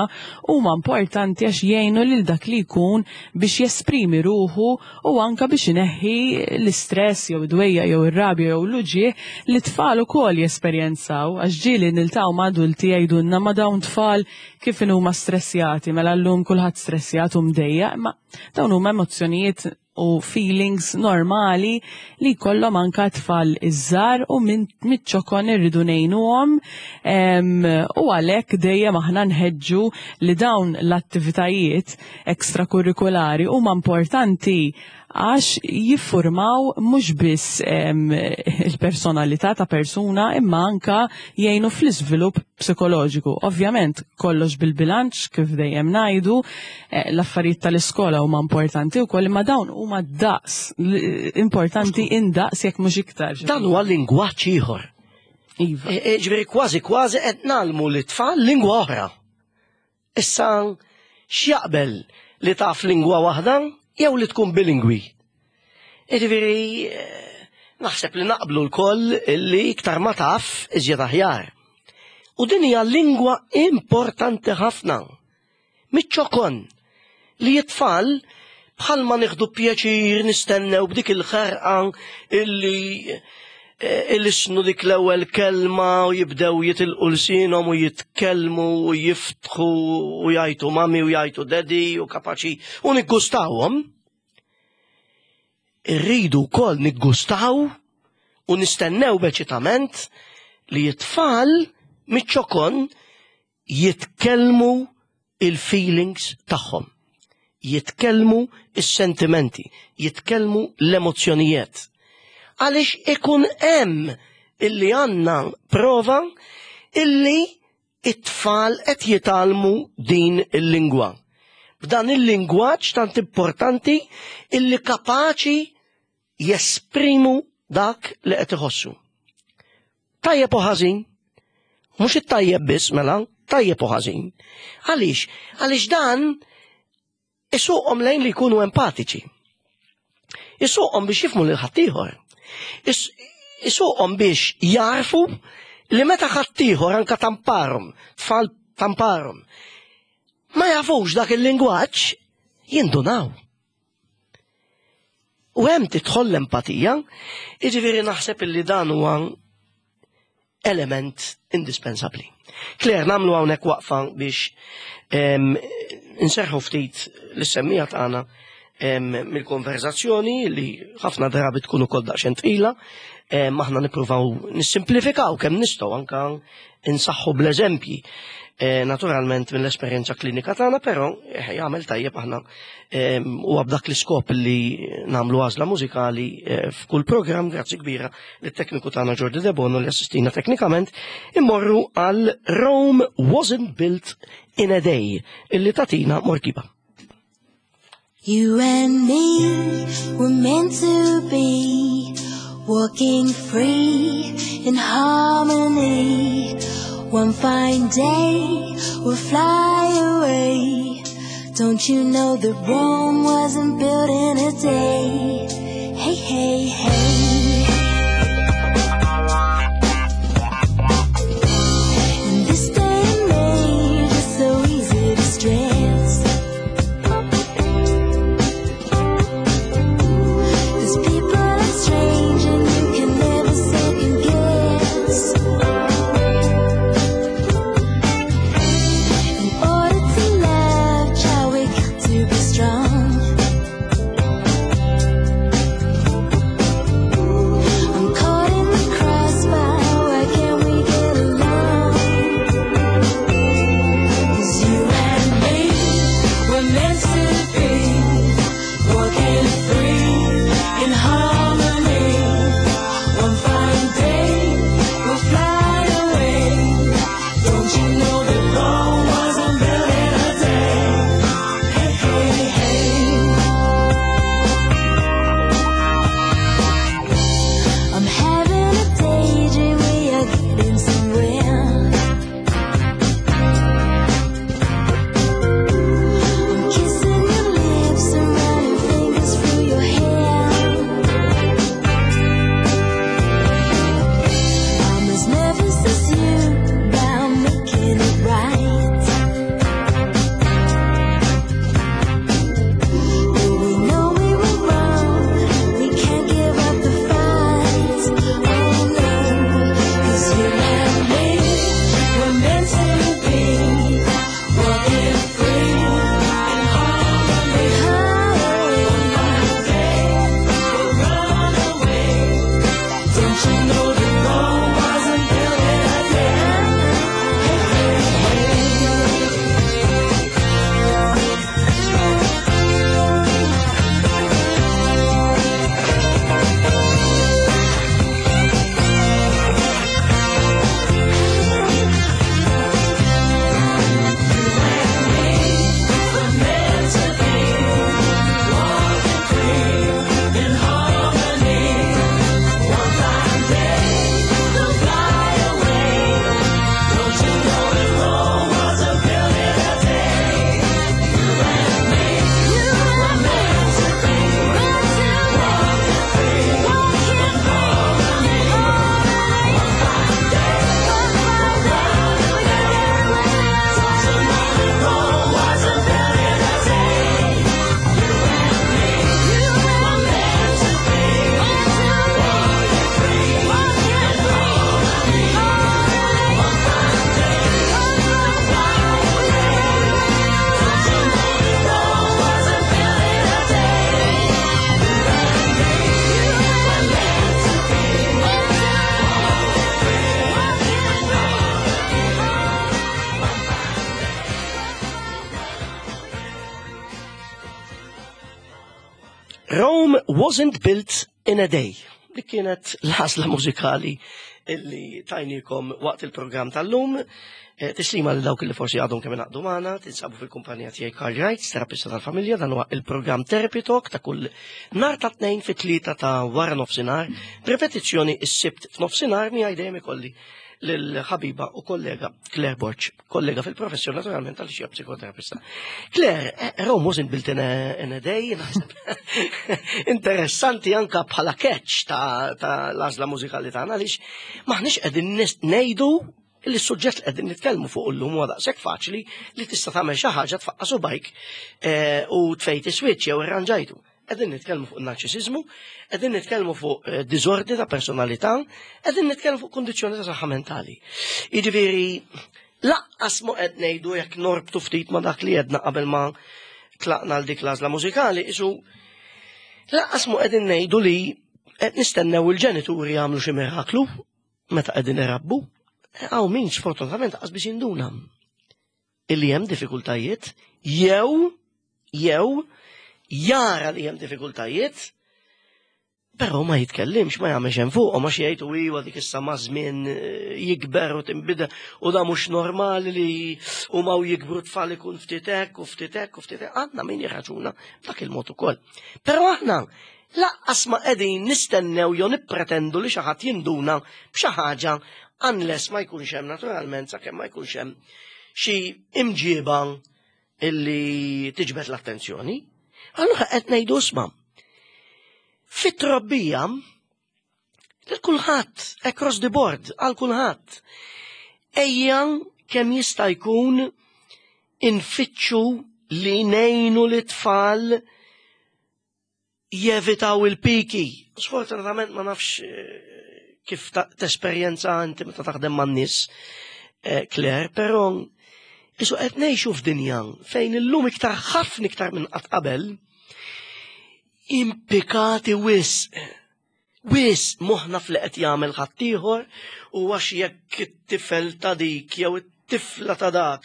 huma importanti għax jgħinu lil dak li jkun biex jesprimi ruħu u anka biex ineħħi l-istress jew id-dwejjaq jew ir-rabja jew l-uġigħ li t-tfal ukoll jesperjenzaw għax ġieli niltaqgħu ma' adulti jgħidulna ma' dawn tfal kif inhuma stressjati mela llum kulħadd stressjat u mdejjaq imma dawn huma emozzjonijiet u feelings normali li jkollhom anka tfal iż-żgħar u minn miċ-ċokon irridu ngħinuhom u għalhekk dejjem aħna nħeġġu li dawn l-attivitajiet ekstrakurrikulari huma importanti għax jiffurmaw mhux biss il-personalità ta' persuna imma anka jgħinu fl-iżvilupp psikoloġiku. Ovvjament kollox bil-bilanċ kif dejjem ngħidu, eh, l-affarijiet tal-iskola huma importanti wkoll imma dawn huma daqs importanti indaqs jekk mhux iktar. Dan huwa lingwaġġ ieħor. Iva. E, e, ġifieri kważi kważi qed nagħlmu lit-tfal lingwa oħra. Issa x'jaqbel li taf lingwa waħda jew li tkun bilingwi? Jiġifieri eh, naħseb li naqblu lkoll li iktar ma taf iżjed aħjar. U din hija lingwa importanti ħafna. Miċ-ċokon li t-tfal bħalma nieħdu pjaċir nistennew b'dik il-ħerqa illi eh, ilisnu dik l-ewwel kelma u jibdew jitilqu lsienhom u jitkellmu u jiftħu u jgħajtu mami u jgħajtu daddy u kapaċi u niggustawhom. Irridu wkoll niggustaw u nistennew b'eċitament li t-tfal miċ-ċokon jitkellmu il-feelings tagħhom, jitkellmu is-sentimenti, jitkellmu l-emozzjonijiet. Għaliex ikun hemm illi għandna prova illi it-tfal qed jitgħallmu din il-lingwa. B'dan il-lingwaġġ tant importanti illi kapaċi jesprimu dak li qed iħossu. Tajjeb u ħażin. Mhux it-tajjeb biss mela, tajjeb u ħażin. Għaliex? Għaliex dan isuqhom lejn li jkunu empatiċi. Isuqhom biex jifmu lil ħaddieħor. Isuqhom biex jarfu Li meta ħaddieħor anka tamparhom, tfal tamparhom, ma jafux dak il-lingwaġġ, jindunaw. U hemm tidħol l-empatija, jiġifieri naħseb illi dan huwa element indispensabbli. Claire, nagħmlu hawnhekk waqfa biex inserħu ftit l-semmija tagħna mill-konverzazzjoni li ħafna drabi tkun ukoll daqsxejn tqila, aħna nippruvaw nissimplifikaw kemm nistgħu anka insaħħu bl-eżempji. Eh, naturalment mill-esperjenza klinika tagħna, però eh, jagħmel tajjeb aħna u b'dak l-iskop li nagħmlu għażla mużikali eh, f'kull programm, grazzi kbira lit-tekniku tagħna Jordi Debono li assistina teknikament, immorru għal Rome Wasn't Built in a Day illi tatina Morkiba. You and me were meant to be walking free in harmony. One fine day we'll fly away. Don't you know that Rome wasn't built in a day? Hey, hey, hey. In this day and age, it's so easy to stress. Cause people are strange and you can never second guess. In order to love, child, we got to be strong. I'm caught in the crossfire, why can't we get along? 'Cause you and me were meant to be walking free in harmony. One fine day we'll fly away. Don't you know that Rome wasn't built in a day? Hey, hey, hey. I'm having a daydream, we are getting somewhere. I'm kissing your lips and running fingers through your hair. I'm as nervous as you about making it right. But we know we were wrong. We can't give up the fight. Oh no, 'cause you and me were meant to be walking free in harmony. One fine day we'll run away. Don't you know that Rome wasn't built in a day? Hey, hey, hey. Rome wasn't built in a day. Dik kienet l-ħasla mużikali illi tajnikom waqt il-programm tal-lum. Tislima li dawk li forsi għadhom kemm ingħaqdu magħna, tinsabu fil-kumpanija tiegħi Karl Wright, terapista tal-familja, dan huwa il-programm Therapy Talk ta' kull nhar ta' tnejn fit-3 ta' wara nofsinhar, b'ripetizzjoni s-Sibt f'nofsinhar miegħi dejjem ikolli lill-ħabiba u kollega Claire Borg, kollega fil-professjoni naturalment għal xi psikoterapista. Claire, eh, Rome wasn't built in a, in a day, naħseb. Interessanti anka bħala catch ta', ta l-għażla mużikali tagħna għaliex maħniex qegħdin ngħidu li s-suġġett li qegħdin nitkellmu fuq illum huwa daqshekk faċli li tista' tagħmel xi ħaġa tfaqqa' subajk eh, u tfejti switch jew irranġajtu. Qegħdin nitkellmu fuq narċisiżmu, qegħdin nitkellmu fuq eh, diżordni ta' personalità, qegħdin nitkellmu fuq kundizzjoni ta' saħħa mentali. Jiġifieri laqqas mu qed ngħidu jekk norbtu ftit ma' dak li jedna qabel ma tlaqna għal dik l-għażla mużikali, isu laqqas mu qegħdin ngħidu li qed nistennew il-ġenituri jagħmlu xi miraklu meta qegħdin irabbu. Hawn min sfortunatament qas biex jinduna illi hemm diffikultajiet jew jew jara li hemm diffikultajiet però ma jitkellimx, ma jagħmel hemm fuq, ma xi jgħid u iwa dik issa ma' żmien eh, jikber u tinbidel u da mhux normali li huma u jikbru tfal ikun ftit hekk u ftit hekk u ftit hekk. Għandna min jirraġuna dak il-mod ukoll. Però aħna laqqas ma qegħdin nistennew jew nippretendu li xi ħadd jinduna b'xi ħaġa unless ma jkunx hemm naturalment sakemm ma jkunx hemm xi imġiba illi tiġbed l-attenzjoni. Allura qed ngħidu isma' fit-trobbija lil kulħadd across the board għal kulħadd. Ejja kemm jista' jkun infittxu li ngħinu lit-tfal jevitaw il-piki. Sfortunatament ma nafx eh, kif tesperjenza inti meta taħdem man-nies, eh, Claire, però isu qed ngħixu f'dinja fejn illum iktar ħafna iktar minn qatt qabel impikati wisq. Wisq moħħna f'li qed jagħmel ħaddieħor u għax jekk it-tifel ta' dik jew it-tifla ta' dak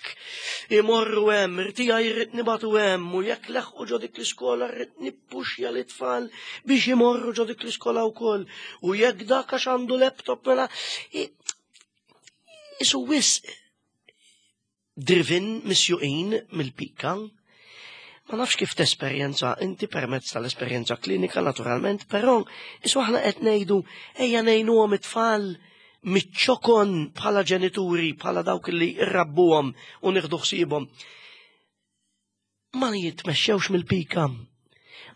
imorru hemm, irtija jrid nibatu hemm u jekk leħqu ġo dik l-iskola rrid nippuxja l-itfal biex imorru ġo dik l-iskola wkoll u jekk dak għax għandu laptop mela isu wisq driven misjuqin mill-pika. Ma nafx kif tesperjenza inti permezz tal-esperjenza klinika naturalment, però isu aħna qed ngħidu ejja ngħinuhom it-tfal miċ-ċokon bħala ġenituri, bħala dawk li rrabbuhom u nieħdu ħsiebhom. Ma jitmexxewx mill-pika.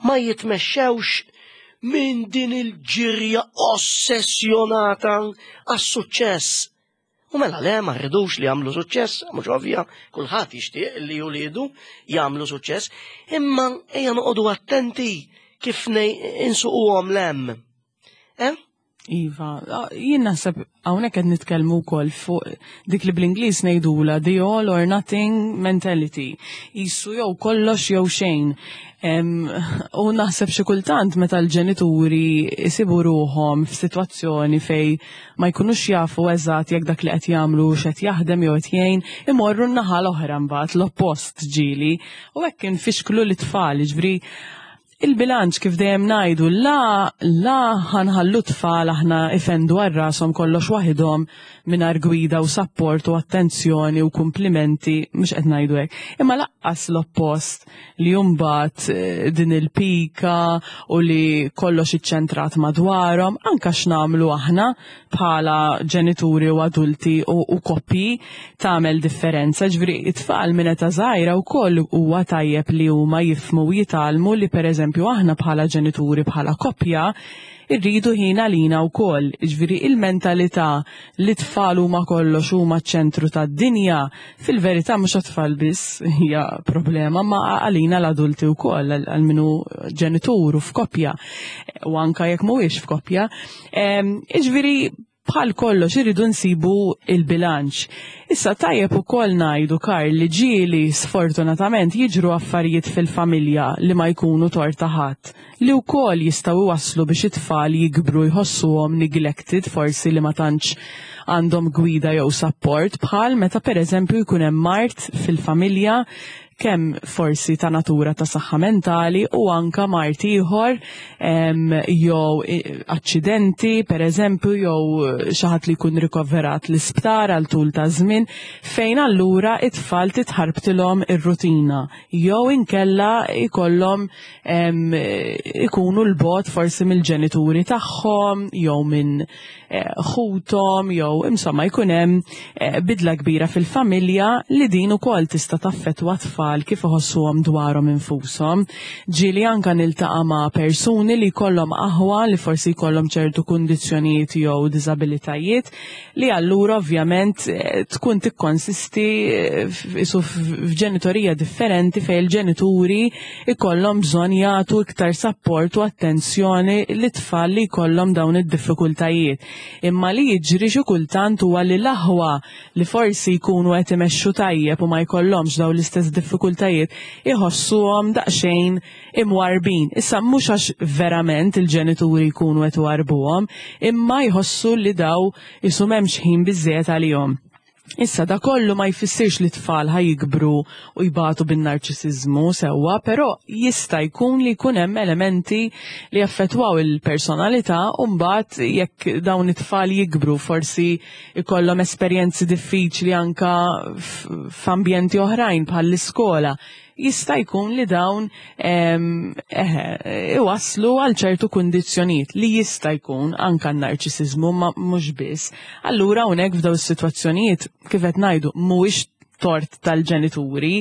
Ma jitmexxewx minn din il-ġirja ossessjonata għas-suċċess. U mela le ma rridux li jagħmlu suċċess, mhux ovvja, kulħadd jixtieq li juliedu jagħmlu suċċess, imma ejja noqogħdu attenti kif insuquhom lem. Eh? Iva, jien naħseb hawnhekk qed nitkellmu wkoll fuq dik li bl-Ingliż ngħidula the all or nothing mentality. Isu jew kollox jew xejn. U naħseb xi kultant meta l-ġenituri jsibu ruħhom f'sitwazzjoni fej ma jkunux jafu eżatt jekk dak li qed jagħmlu x'qed jaħdem jew qed jgħin, imorru n-naħa l-oħra mbagħad l-oppost ġieli. U hekk infixklu l-tfal, jiġifieri Il-bilanċ kif dejjem ngħidu la la ħanħallu tfal aħna ifendu għal rashom kollox waħidhom mingħajr gwida u sapport u attenzjoni u kumplimenti mhux qed ngħidu hekk. Imma laqqas l-oppost li mbagħad eh, din il-pika u li kollox iċċentrat madwarhom anke x'nagħmlu aħna bħala ġenituri u adulti u, u koppji tagħmel differenza. Ġifieri it-tfal minn età żgħira wkoll huwa tajjeb li huma jifhmu u jitgħallmu li pereżempju aħna bħala ġenituri bħala koppja irridu ħin għalina wkoll. Ġifieri il-mentalità li tfal huma kollox huma ċ-ċentru tad-dinja, fil-verità mhux għat-tfal biss hija problema, ma għalina l-adulti wkoll għal minu ġenitur u f'koppja u anka jekk mhuwiex f'koppja. Iġviri, bħal kollox irridu nsibu il-bilanċ. Issa tajjeb ukoll ngħidu Karl li ġieli sfortunatament jiġru affarijiet fil-familja li ma jkunu torta ħadd, li wkoll jistgħu iwasslu biex it-tfal jikbru jħossuhom neglected forsi li ma tantx għandhom gwida jew support bħal meta pereżempju jkun hemm mard fil-familja kemm forsi ta' natura ta' saħħa mentali u anka mard ieħor jew aċċidenti pereżempju jew xi ħadd li jkun rikoverat l-isptar għal tul ta' żmien fejn allura it-tfal titħarbtilhom ir-rutina jew inkella jkollhom ikunu l-bogħod forsi mill-ġenituri tagħhom jew minn eh, ħuthom jew jew insomma jkun hemm eh, bidla kbira fil-familja li din ukoll tista' taffettwa tfal kif iħossuhom dwarhom infushom. Ġieli anka niltaqa' ma' persuni li jkollhom aħwa li forsi jkollhom ċertu kundizzjonijiet jew diżabilitajiet li allura ovvjament eh, tkun tikkonsisti eh, isu f'ġenitorija differenti fejn il-ġenituri ikollhom bżonn jagħtu iktar sapport u attenzjoni lit-tfal li jkollhom dawn id-diffikultajiet. Imma li jiġri xi kultant huwa li l-aħwa li forsi jkunu qed imexxu tajjeb u ma jkollhomx dawn l-istess diffikultajiet iħossuhom daqsxejn imwarrbin. Issa mhux għax verament il-ġenituri jkunu qed iwarrbuhom, imma jħossu li daw isu m'hemmx ħin biżżejjed għalihom. Issa da kollu ma jfissirx li tfal ħa jikbru u jbatu bin-narċisiżmu sewwa, però jista' jkun li jkun hemm elementi li jaffettwaw il-personalità u mbagħad jekk dawn it-tfal jikbru forsi ikollhom esperjenzi diffiċli anka f'ambjenti oħrajn bħall-iskola jista' jkun li dawn iwasslu għal ċertu kundizzjonijiet li jista' jkun anka n-narċisiżmu ma mhux biss. Allura hawnhekk f'daw is-sitwazzjonijiet kif qed ngħidu mhuwiex tort tal-ġenituri,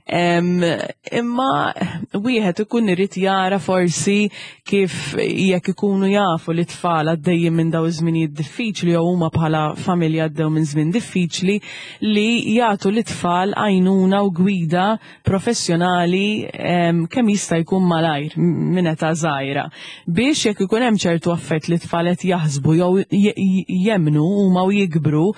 imma wieħed ikun irid jara forsi kif jekk ikunu jafu li tfal għaddejjin minn daw iż-żminijiet diffiċli jew huma bħala familja għaddew minn żmien diffiċli li jagħtu lit-tfal għajnuna u gwida professjonali kemm jista' jkun malajr minn età żgħira biex jekk ikun hemm ċertu affett li t-tfal qed jaħsbu jew jemmnu huma u jikbru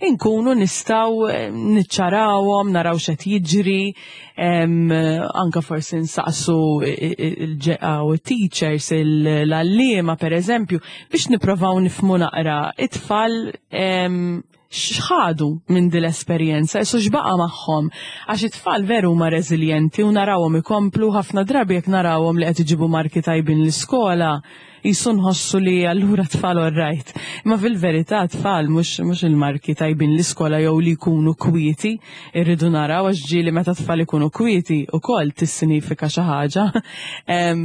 inkunu nistgħu niċċarawhom, naraw x'qed jiġri, anka forsi nsaqsu il-teachers, l-għalliema pereżempju, biex nipprovaw nifhmu naqra it-tfal x'ħadu minn din l-esperjenza, isu x'baqa' magħhom. Għax it-tfal veru huma reżiljenti u narawhom ikomplu ħafna drabi jekk narawhom li qed iġibu marki tajbin l-iskola, qisu nħossu li allura tfal all right. Imma fil-verità tfal mhux mhux il-marki tajbin l-iskola jew li jkunu kwieti irridu naraw għax ġieli meta tfal ikunu kwieti ukoll tissinifika xi ħaġa.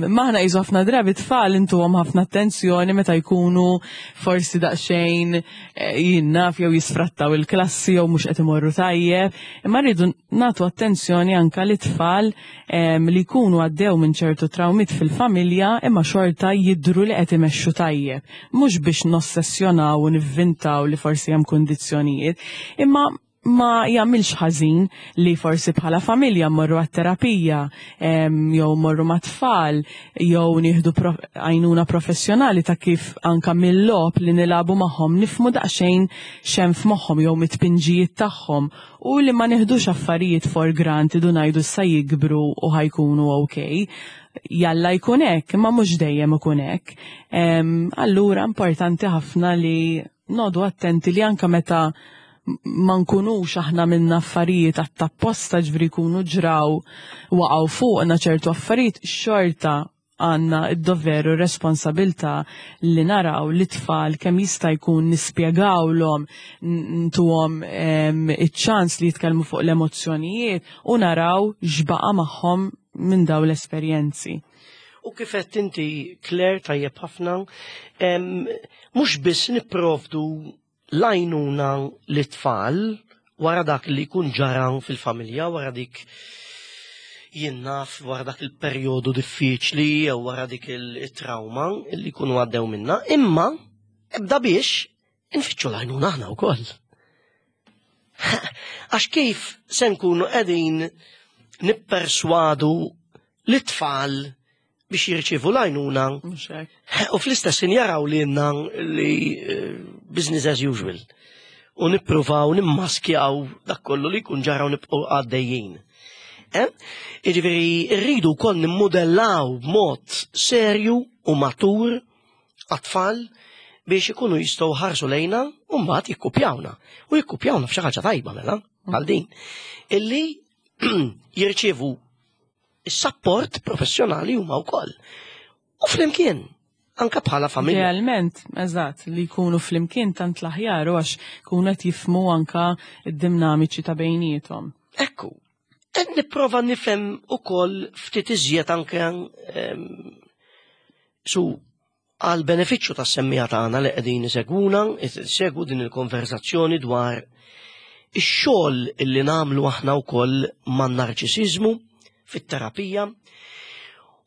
M'aħna qisu ħafna drabi tfal intuhom ħafna attenzjoni meta jkunu forsi daqsxejn eh, jien naf jew jisfrattaw il-klassi jew mhux qed imorru tajjeb, imma rridu nagħtu attenzjoni anka li tfal li jkunu għaddew minn ċertu trawmiet fil-familja imma xorta jidhru li qed imexxu tajjeb. Mhux biex nossessjonaw u nivvintaw li forsi hemm kundizzjonijiet, imma ma jagħmilx ħażin li forsi bħala familja mmorru għat-terapija jew mmorru mat-tfal jew nieħdu għajnuna professjonali ta' kif anka mill-logħob li nilagħbu magħhom nifhmu daqsxejn x'hemm f'moħħhom jew mit-tpinġijiet tagħhom U li ma neħdux affarijiet for granted u ngħidu issa jikbru u ħa jkunu ok. Jalla jkun hekk, imma mhux dejjem ikun hekk. Allura importanti ħafna li nodu attenti li anka meta ma nkunux aħna minna affarijiet għat-tapposta ġvri jkunu ġraw waqgħu fuqna ċertu affarijiet xorta għandna d-dover u r-responsabilità li naraw li tfal kemm jista' jkun nispjegawlhom, ntuhom iċ-ċans li jitkellmu fuq l-emozzjonijiet u naraw x'baqa' magħhom minn dawn l-esperjenzi. U kif qed inti Claire tajjeb ħafna, mhux biss nipprovdu l-għajnuna lit-tfal wara dak li jkun ġara fil-familja, wara dik jien naf wara dak il-perjodu diffiċli jew wara dik il-trauma li jkunu għaddew minna, imma ebda biex infittxu l-għajnuna aħna wkoll. Għax kif se nkunu qegħdin nipperswadu lit-tfal biex jirċievu l-għajnuna u fl-istess ħin jaraw li jenna li eh, business as usual u nippruvaw nimmaskjaw dak kollu li jkun ġara u nibqgħu għaddejjin. Eh? Jiġifieri rridu wkoll nimmudellaw b'mod serju u matur għat-tfal biex ikunu jistgħu ħarsu lejna u mbagħad jikkupjawna. U jikkupjawna f'xi ħaġa tajba mela bħal din. Illi jirċievu is-sapport professjonali huma wkoll. U flimkien, anka bħala familja. Idealment, eżatt, li jkunu flimkien tant l-aħjar u għax kunu qed jifmu anka d-dinamiċi ta' bejniethom. Ekku, qed nipprova nifhem ukoll ftit iżjed anke ehm, su. Għal benefiċċju tas-semmiegħa tagħna li qegħdin isegwuna, isegwu din il-konversazzjoni dwar ix-xogħol illi nagħmlu aħna wkoll man-narċisiżmu fit-terapija.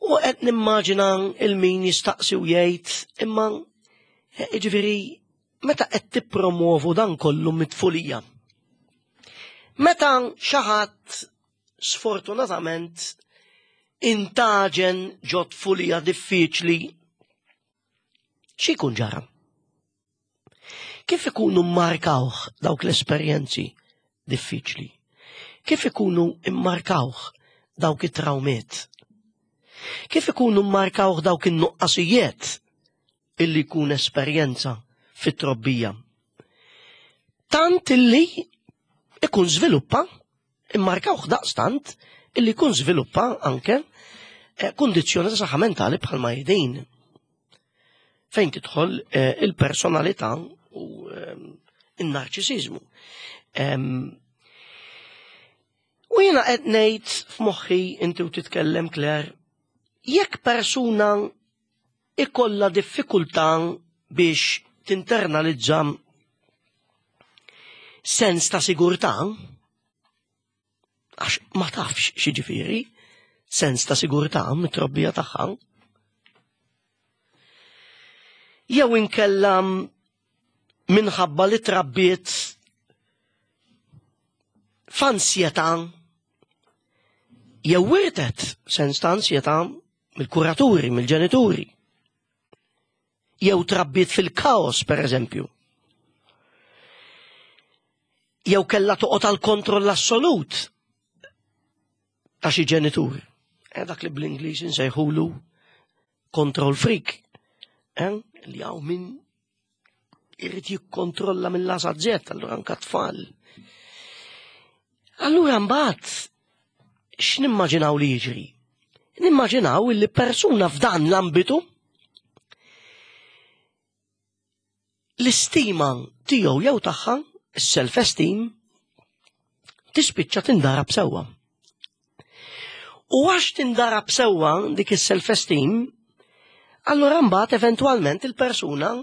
U qed nimmaġina il-min jistaqsi u jgħid imma jiġifieri meta qed tippromovu dan kollu mit-tfulija. Meta xi ħadd sfortunatament intaġen ġo tfulija diffiċli, x'ikun ġara? Kif ikunu mmarkawh dawk l-esperjenzi diffiċli? Kif ikunu mmarkawh dawk it-trawmiet? Kif ikunu mmarkawh dawk in-nuqqasijiet illi jkun esperjenza fit-trobbija? Tant illi ikun żviluppa, immarkawh daqstant illi jkun żviluppa anke eh, kundizzjoni ta' saħħa mentali bħalma jedin. Fejn tidħol eh, il-personalità u eh, in-narċisiżmu. U jiena qed ngħid f'moħħi inti u titkellem Claire, jekk persuna ikollha diffikultà biex tinternalizza sens ta' sigurtà, għax ma tafx x'jiġifieri sens ta' sigurtà mit-trobbija tagħha. Jew inkella minħabba li trabbiet f'ansjetà jew wirtet sens ta' ansjetà mill-kuraturi, mill-ġenituri. Jew trabbiet fil-kaos, per eżempju. Jew kellha toqgħod għal kontroll assolut ta' xi ġenitur. Eh, dak li bl-Ingliż insejħulu control freak. Eh, li hawn min irrid jikkontrolla mill-asa Z, allura anka tfal. Allura mbagħad x'nimmaġinaw li jiġri? Nimmaġinaw li persuna f'dan l-ambitu l-istima tiegħu jew tagħha, is-self-esteem, tispiċċa tindarab sewwa. U għax tindarab sewwa dik is-self-esteem, allura mbagħad eventwalment il-persuna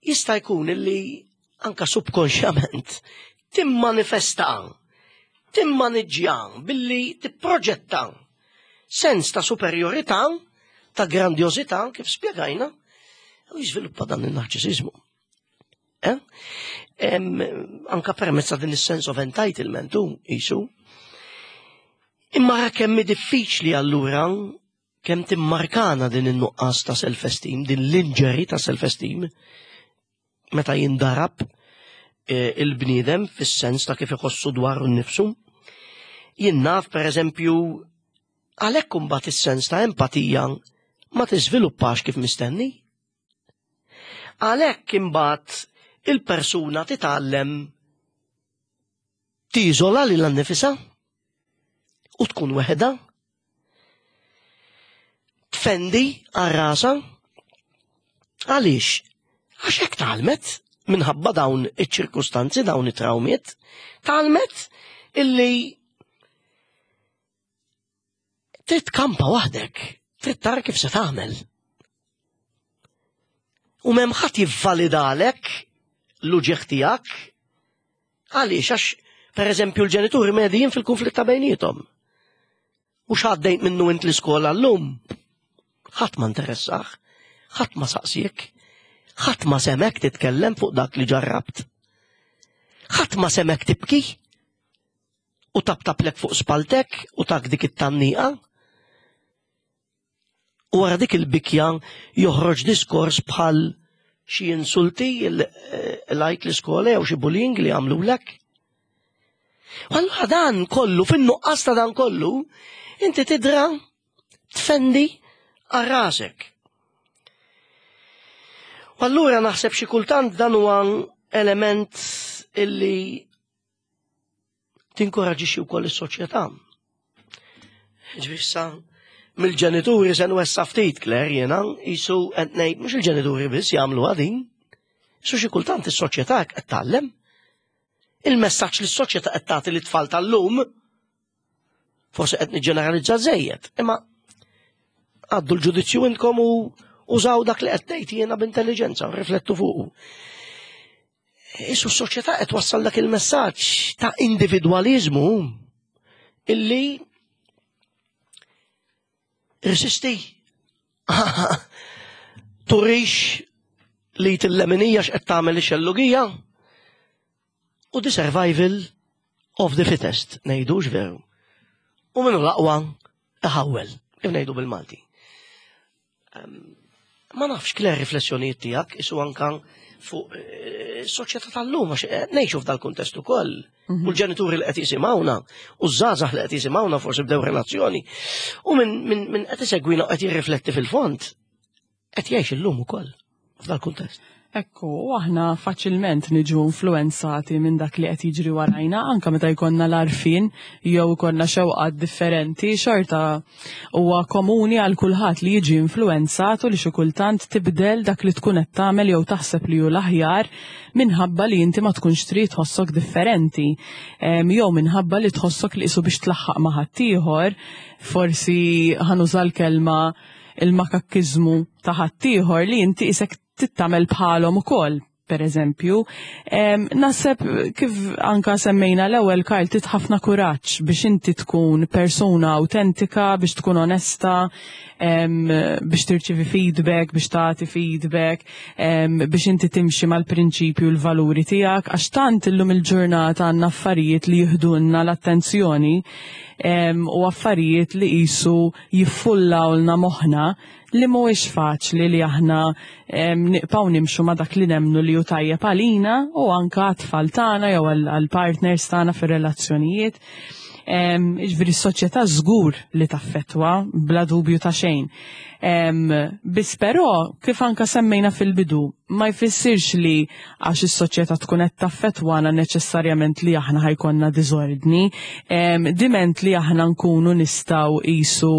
jista' jkun li anka subkonxjament timmanifesta, timmaniġġja billi tipproġetta sens ta' superjorità, ta' grandjożità kif spjegajna, u jiżviluppa dan in-narċisiżmu. Eh? Anka permezz ta' din is-sense of entitlement u jisu. Imma kemm diffiċli allura kemm timmarkana din in-nuqqas ta' self-esteem, din l-injury ta' self-esteem, meta jindarab eh, il-bniedem fis-sens ta' kif iħossu dwar nnifsu. Jien naf pereżempju għalhekk imbagħad is-sens ta' empatija ma tiżviluppax kif mistenni. Għalhekk imbagħad il-persuna titgħallem tiżola lilha nnifisha u tkun weħeda tfendi għal rasha għaliex għax hekk tgħallmet minħabba dawn iċ-ċirkustanzi, dawn it-trawmiet, tgħallmet illi trid tkampa waħdek, trid tara kif se tagħmel. U m'hemm ħadd jivvalidalek l-uġieħ tiegħek għaliex għax pereżempju l-ġenituri medijin fil-konflitt ta' bejniethom. U x'għaddejt minnu int l-iskola llum? Ħadd ma interessah, ħadd ma saqsiek, ħadd ma semek titkellem fuq dak li ġarrabt. Ħadd ma semek tibki u taptaplek fuq spaltek u tak dik it-tanniqa. U wara dik il-bikja joħroġ diskors bħal xi insulti lajt l-iskola jew xi bullying li għamlulek. U allura dan kollu, fin-nuqqas ta' dan kollu, inti tidra tfendi għal rasek. U allura naħseb xi kultant dan huwa element illi tinkoraġixxi wkoll is-soċjetà. Ġvissa, mill-ġenituri se nwessa ftit, Claire, jiena jisu qed ngħid mhux il-ġenituri biss jagħmlu din. Su xi kultant is-soċjetà qed tgħallem. Il-messaġġ li s-soċjetà qed tagħti lit-tfal tal-lum forsi qed niġġeneralizza żejjed, imma għaddu l-ġudizzju intkom u, Użaw dak li qed ngħid jiena b'intelliġenza, riflettu fuqu. Isu s-soċjetà qed wassal dak il-messaġġ ta' individwaliżmu illi resisti turix li til-leminija x'qed tagħmel ix-xellugija u the survival of the fittest, ngħidux veru. U minnu l-aqwa iħawwel, kif ngħidu bil-Malti. Ma nafx kler riflessjonijiet tiegħek isu anka fuq eh, soċjetà tal-lum għax eh, ngħixu f'dal-kuntest ukoll. U l-ġenituri li qed jisimgħuna, u ż-żgħażagħ li qed jisimgħuna forsi bdew relazzjoni. U minn min, min qed isegwina qed jirrifletti fil-fond, qed jgħix illum ukoll f'dal-kuntest. Ekku, u aħna faċilment niġu influenzati minn dak li qed jiġri warajna, anka meta jkollna l-għarfien jew ikollna xewqat differenti, xorta huwa komuni għal kulħadd li jiġi influenzat u li xi kultant tibdel dak li tkun qed tagħmel jew taħseb li hu l-aħjar minħabba li inti ma tkunx trid tħossok differenti jew minħabba li tħossok li qisu biex tlaħħaq ma' ħaddieħor, forsi ħanuża l-kelma il-makakkiżmu ta' ħaddieħor li inti isek tittamel bħalhom ukoll per eżempju. Naħseb kif anka semmejna l-ewwel Karl tit ħafna kuraġġ biex inti tkun persuna autentika, biex tkun onesta, biex tirċivi feedback, biex tagħti feedback, biex inti timxi mal-prinċipju l-valuri tiegħek, għax tant illum il-ġurnata għandna affarijiet li jiħdulna l-attenzjoni u affarijiet li qisu jiffullawlna moħħna li mhuwiex faċli li aħna nibqgħu nimxu ma' dak li nemmnu li hu tajjeb għalina u anka għat-tfal tagħna jew għall-partners tagħna fir-relazzjonijiet. Jiġifieri s-soċjetà żgur li taffettwa bla dubju ta' xejn. Biss però kif anka semmejna fil-bidu, ma jfissirx li għax is-soċjetà tkun qed taffettwana neċessarjament li aħna ħajkonna diżordni. Diment li aħna nkunu nistgħu qisu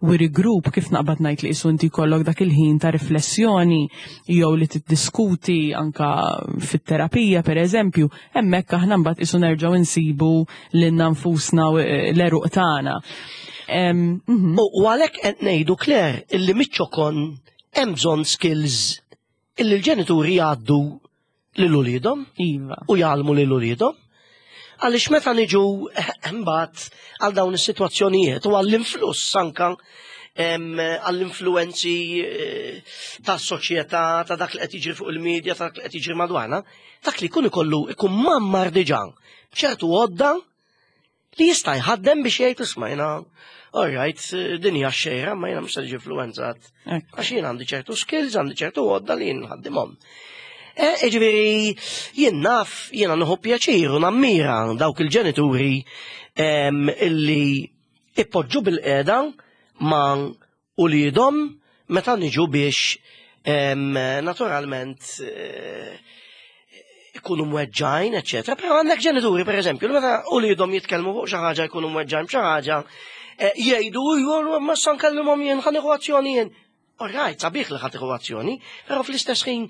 we regroup kif naqbad ngħid li qisu inti jkollok dak il-ħin ta' riflessjoni jew li tiddiskuti anka fit-terapija pereżempju, hemmhekk aħna mbagħad qisu nerġgħu nsibu lilna nfusna u l-għeruq tagħna. U għalhekk qed ngħidu Claire illi miċ-ċokon hemm bżonn skills illi l-ġenituri jgħaddu lil uliedhom iva. u jgħallmu lil uliedhom. Għaliex meta niġu mbagħad għal dawn is-sitwazzjonijiet u għall-influss anka għall-influenzi eh, ta' soċjetà, ta' dak li qed jiġri fuq il-medja, ta' dak li qed jiġri madwarna, dak li jkun ikollu ikun mammar diġà b'ċertu għodda li jista' jħaddem biex jgħid isma' jiena all right, din hija xejra, ma jiena mhux se niġi influenzat. Għax jien għandi ċertu skills, għandi ċertu għodda li jien nħaddimhom. E, ġifieri, jien naf, jiena nieħu pjaċir u nammira dawk il-ġenituri illi ippoġġu bil-qeda ma' uliedhom meta niġu biex naturalment eh, ikunu mweġġajn, eċetera. Però għandek ġenituri, per eżempju, li meta uliedhom jitkellmu fuq xi ħaġa jkunu mweġġajn b'xi ħaġa, eh, jgħidu ma sa nkellimhom jien ħa nieħu azzjoni jien. All right, sabiħ li ħa tieħu azzjoni, però fl-istess ħin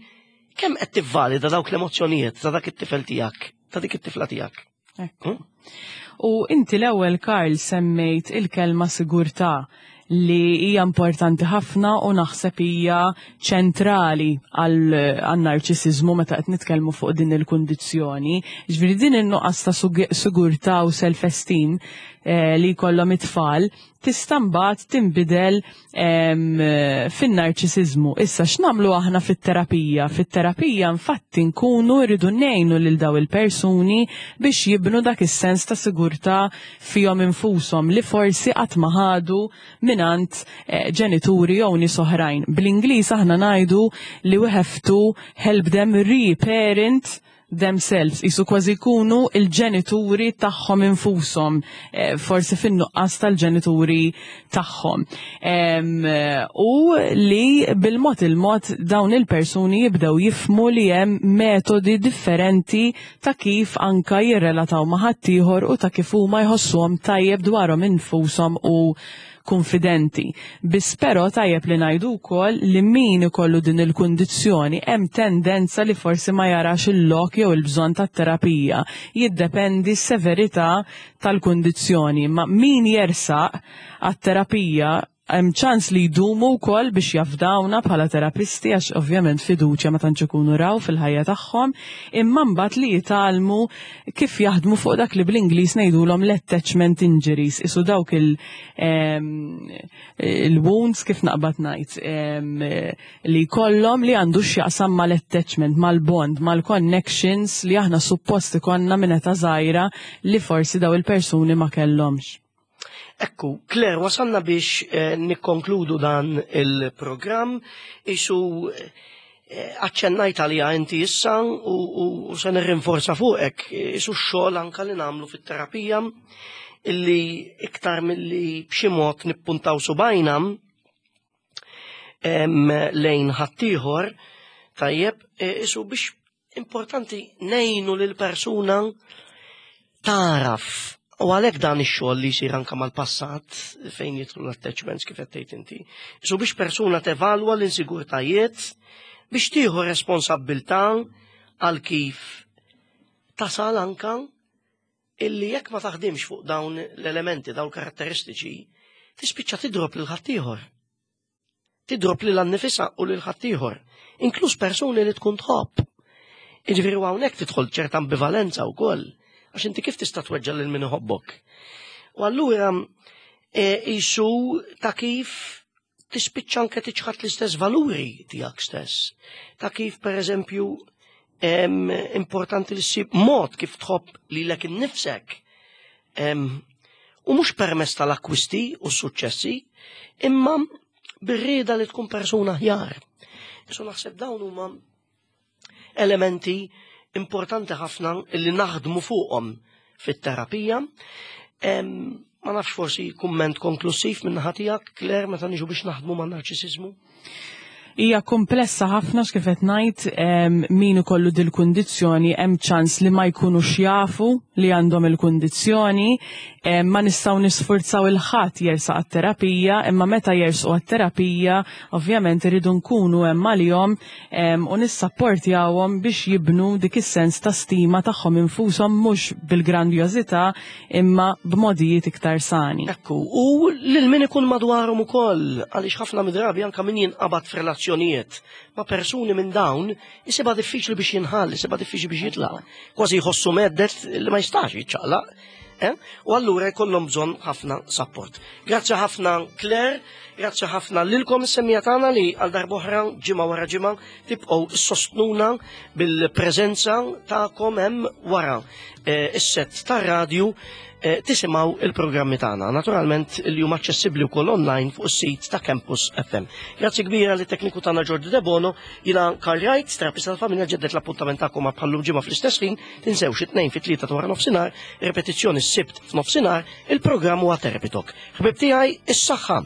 kemm qed tivvalida dawk l-emozzjonijiet ta' dak it-tifel tiegħek, ta' dik it-tifla tiegħek? Ekku. U inti l-ewwel Karl semmejt il-kelma sigurtà li hija importanti ħafna u naħseb hija ċentrali għan-narċisiżmu meta qed nitkellmu fuq din il-kundizzjoni. Ġifieri din in-nuqqas ta' sigurtà u self-esteem eh, li jkollhom it-tfal tista' mbagħad tinbidel fin-narċisiżmu. Issa x'nagħmlu aħna fit-terapija? Fit-terapija infatti nkunu rridu ngħinu lil daw il-persuni biex jibnu dak is-sens ta' sigurtà fihom infushom li forsi qatt ma ħadu mingħand eh, ġenituri jew nies oħrajn. Bl-Ingliż aħna ngħidu li we have to help them reparent themselves, jisu kważi jkunu il-ġenituri tagħhom infushom, eh, forsi fin-nuqqas tal-ġenituri tagħhom. U li bil-mod il-mod dawn il-persuni jibdew jifmu li hemm metodi differenti ta' kif anka jirrelataw ma' ħaddieħor u ta' kif huma jħossuhom tajjeb dwarhom infushom u kunfidenti. Biss però tajjeb li ngħidu wkoll li min ikollu din il-kundizzjoni hemm tendenza li forsi ma jarax il-lok jew il-bżonn tat-terapija. Jiddependi s-severità tal-kundizzjoni, ma min jersaq għat-terapija. Hemm ċans li jdumu wkoll biex jafdawna bħala terapisti għax ovvjament fiduċja ma tantx ikunu raw fil-ħajja tagħhom, imma mbagħad li jitgħallmu kif jaħdmu fuq dak li bl-Ingliż ngħidulhom l-attachment injuries, isu dawk il-wounds kif naqbad ngħid li jkollhom li għandu x'jaqsam mal-attachment, mal-bond, mal-connections li aħna suppost ikollna minn età żgħira li forsi daw il-persuni ma kellhomx. Ekku, Claire, wasalna biex nikkonkludu dan il-programm, isu aċċennajt għalija inti issa u se nirrinforza fuqek, isu x-xogħol anka li nagħmlu fit-terapija illi iktar milli b'xi mod nippuntaw subajna lejn ħaddieħor, tajjeb, isu biex importanti ngħinu lil persuna taraf. U għalhekk dan ix-xogħol li jsir anke mal-passat fejn jidħlu l-attachments kif qed tgħid inti. Isu biex persuna tevalwa l-insigurtajiet biex tieħu responsabbiltà għal kif tasal anka illi jekk ma taħdimx fuq dawn l-elementi, dawn karatteristiċi, tispiċċa tidrob lil ħaddieħor. Tidrob lil annifisha u lil ħaddieħor, inkluż persuni li tkun tħobb. Jiġifieri hawnhekk tidħol ċerta ambivalenza wkoll, għax inti kif tista' tweġġa' lil min iħobbok. U allura isu ta' kif tispiċċa anke tiċħad l-istess valuri tiegħek stess. Ta' kif pereżempju importanti li ssib mod kif tħobb lilek innifsek. U mhux permezz tal-akkwisti u s-suċċessi, imma bir-rieda li tkun persuna aħjar. Isu naħseb dawn huma elementi importanti ħafna li naħdmu fuqhom fit-terapija. Ma nafx forsi kumment konklusiv minn naħa tiegħek, Claire, meta niġu biex naħdmu ma' narċisiżmu? Hija komplessa ħafna x'kif qed ngħid, min ikollu dil-kundizzjoni hemm ċans li ma jkunux jafu li għandhom il-kundizzjoni, ma nistgħu nisfurzaw il-ħadd jersaq għat-terapija, imma meta jersqu għat-terapija ovvjament iridu nkunu hemm għalihom u nissapportjawhom biex jibnu dik is-sens ta' stima tagħhom infushom mhux bil-grandjożità imma b'modijiet iktar sani. Ekku, u lil min ikun madwarhom ukoll, għaliex ħafna midrabi anka min jinqabad f'relazzjonijiet ma' persuni minn dawn, isibha diffiċli biex jinħall, isibha diffiċli biex jitlaq. Kważi jħossu meddet li ma jistax jiċċaqlaq. U allura jkollhom bżonn ħafna support. Grazzi ħafna Claire, grazzi ħafna lilkom is-semmija tagħna li għal darb'oħra ġimgħa wara ġimgħa tibqgħu sostnuna bil-preżenza tagħkom hemm wara is-set tar-radju tisimgħu il-programmi tagħna. Naturalment li huma aċċessibbli wkoll online fuq is-sit ta' Campus FM. Grazzi kbira li tekniku tagħna Jordi Debono, jiena Karl Wright, terapista tal-familja, ġeddet l-appuntament tagħkom ma' bħallum ġimgħa fl-istess ħin, tinsewx it-tnejn fit-tlieta ta' wara nofsinhar, ripetizzjoni s-Sibt f'nofsinhar, il-programm huwa Therapy Talk. Ħbib tiegħi, is-saħħa.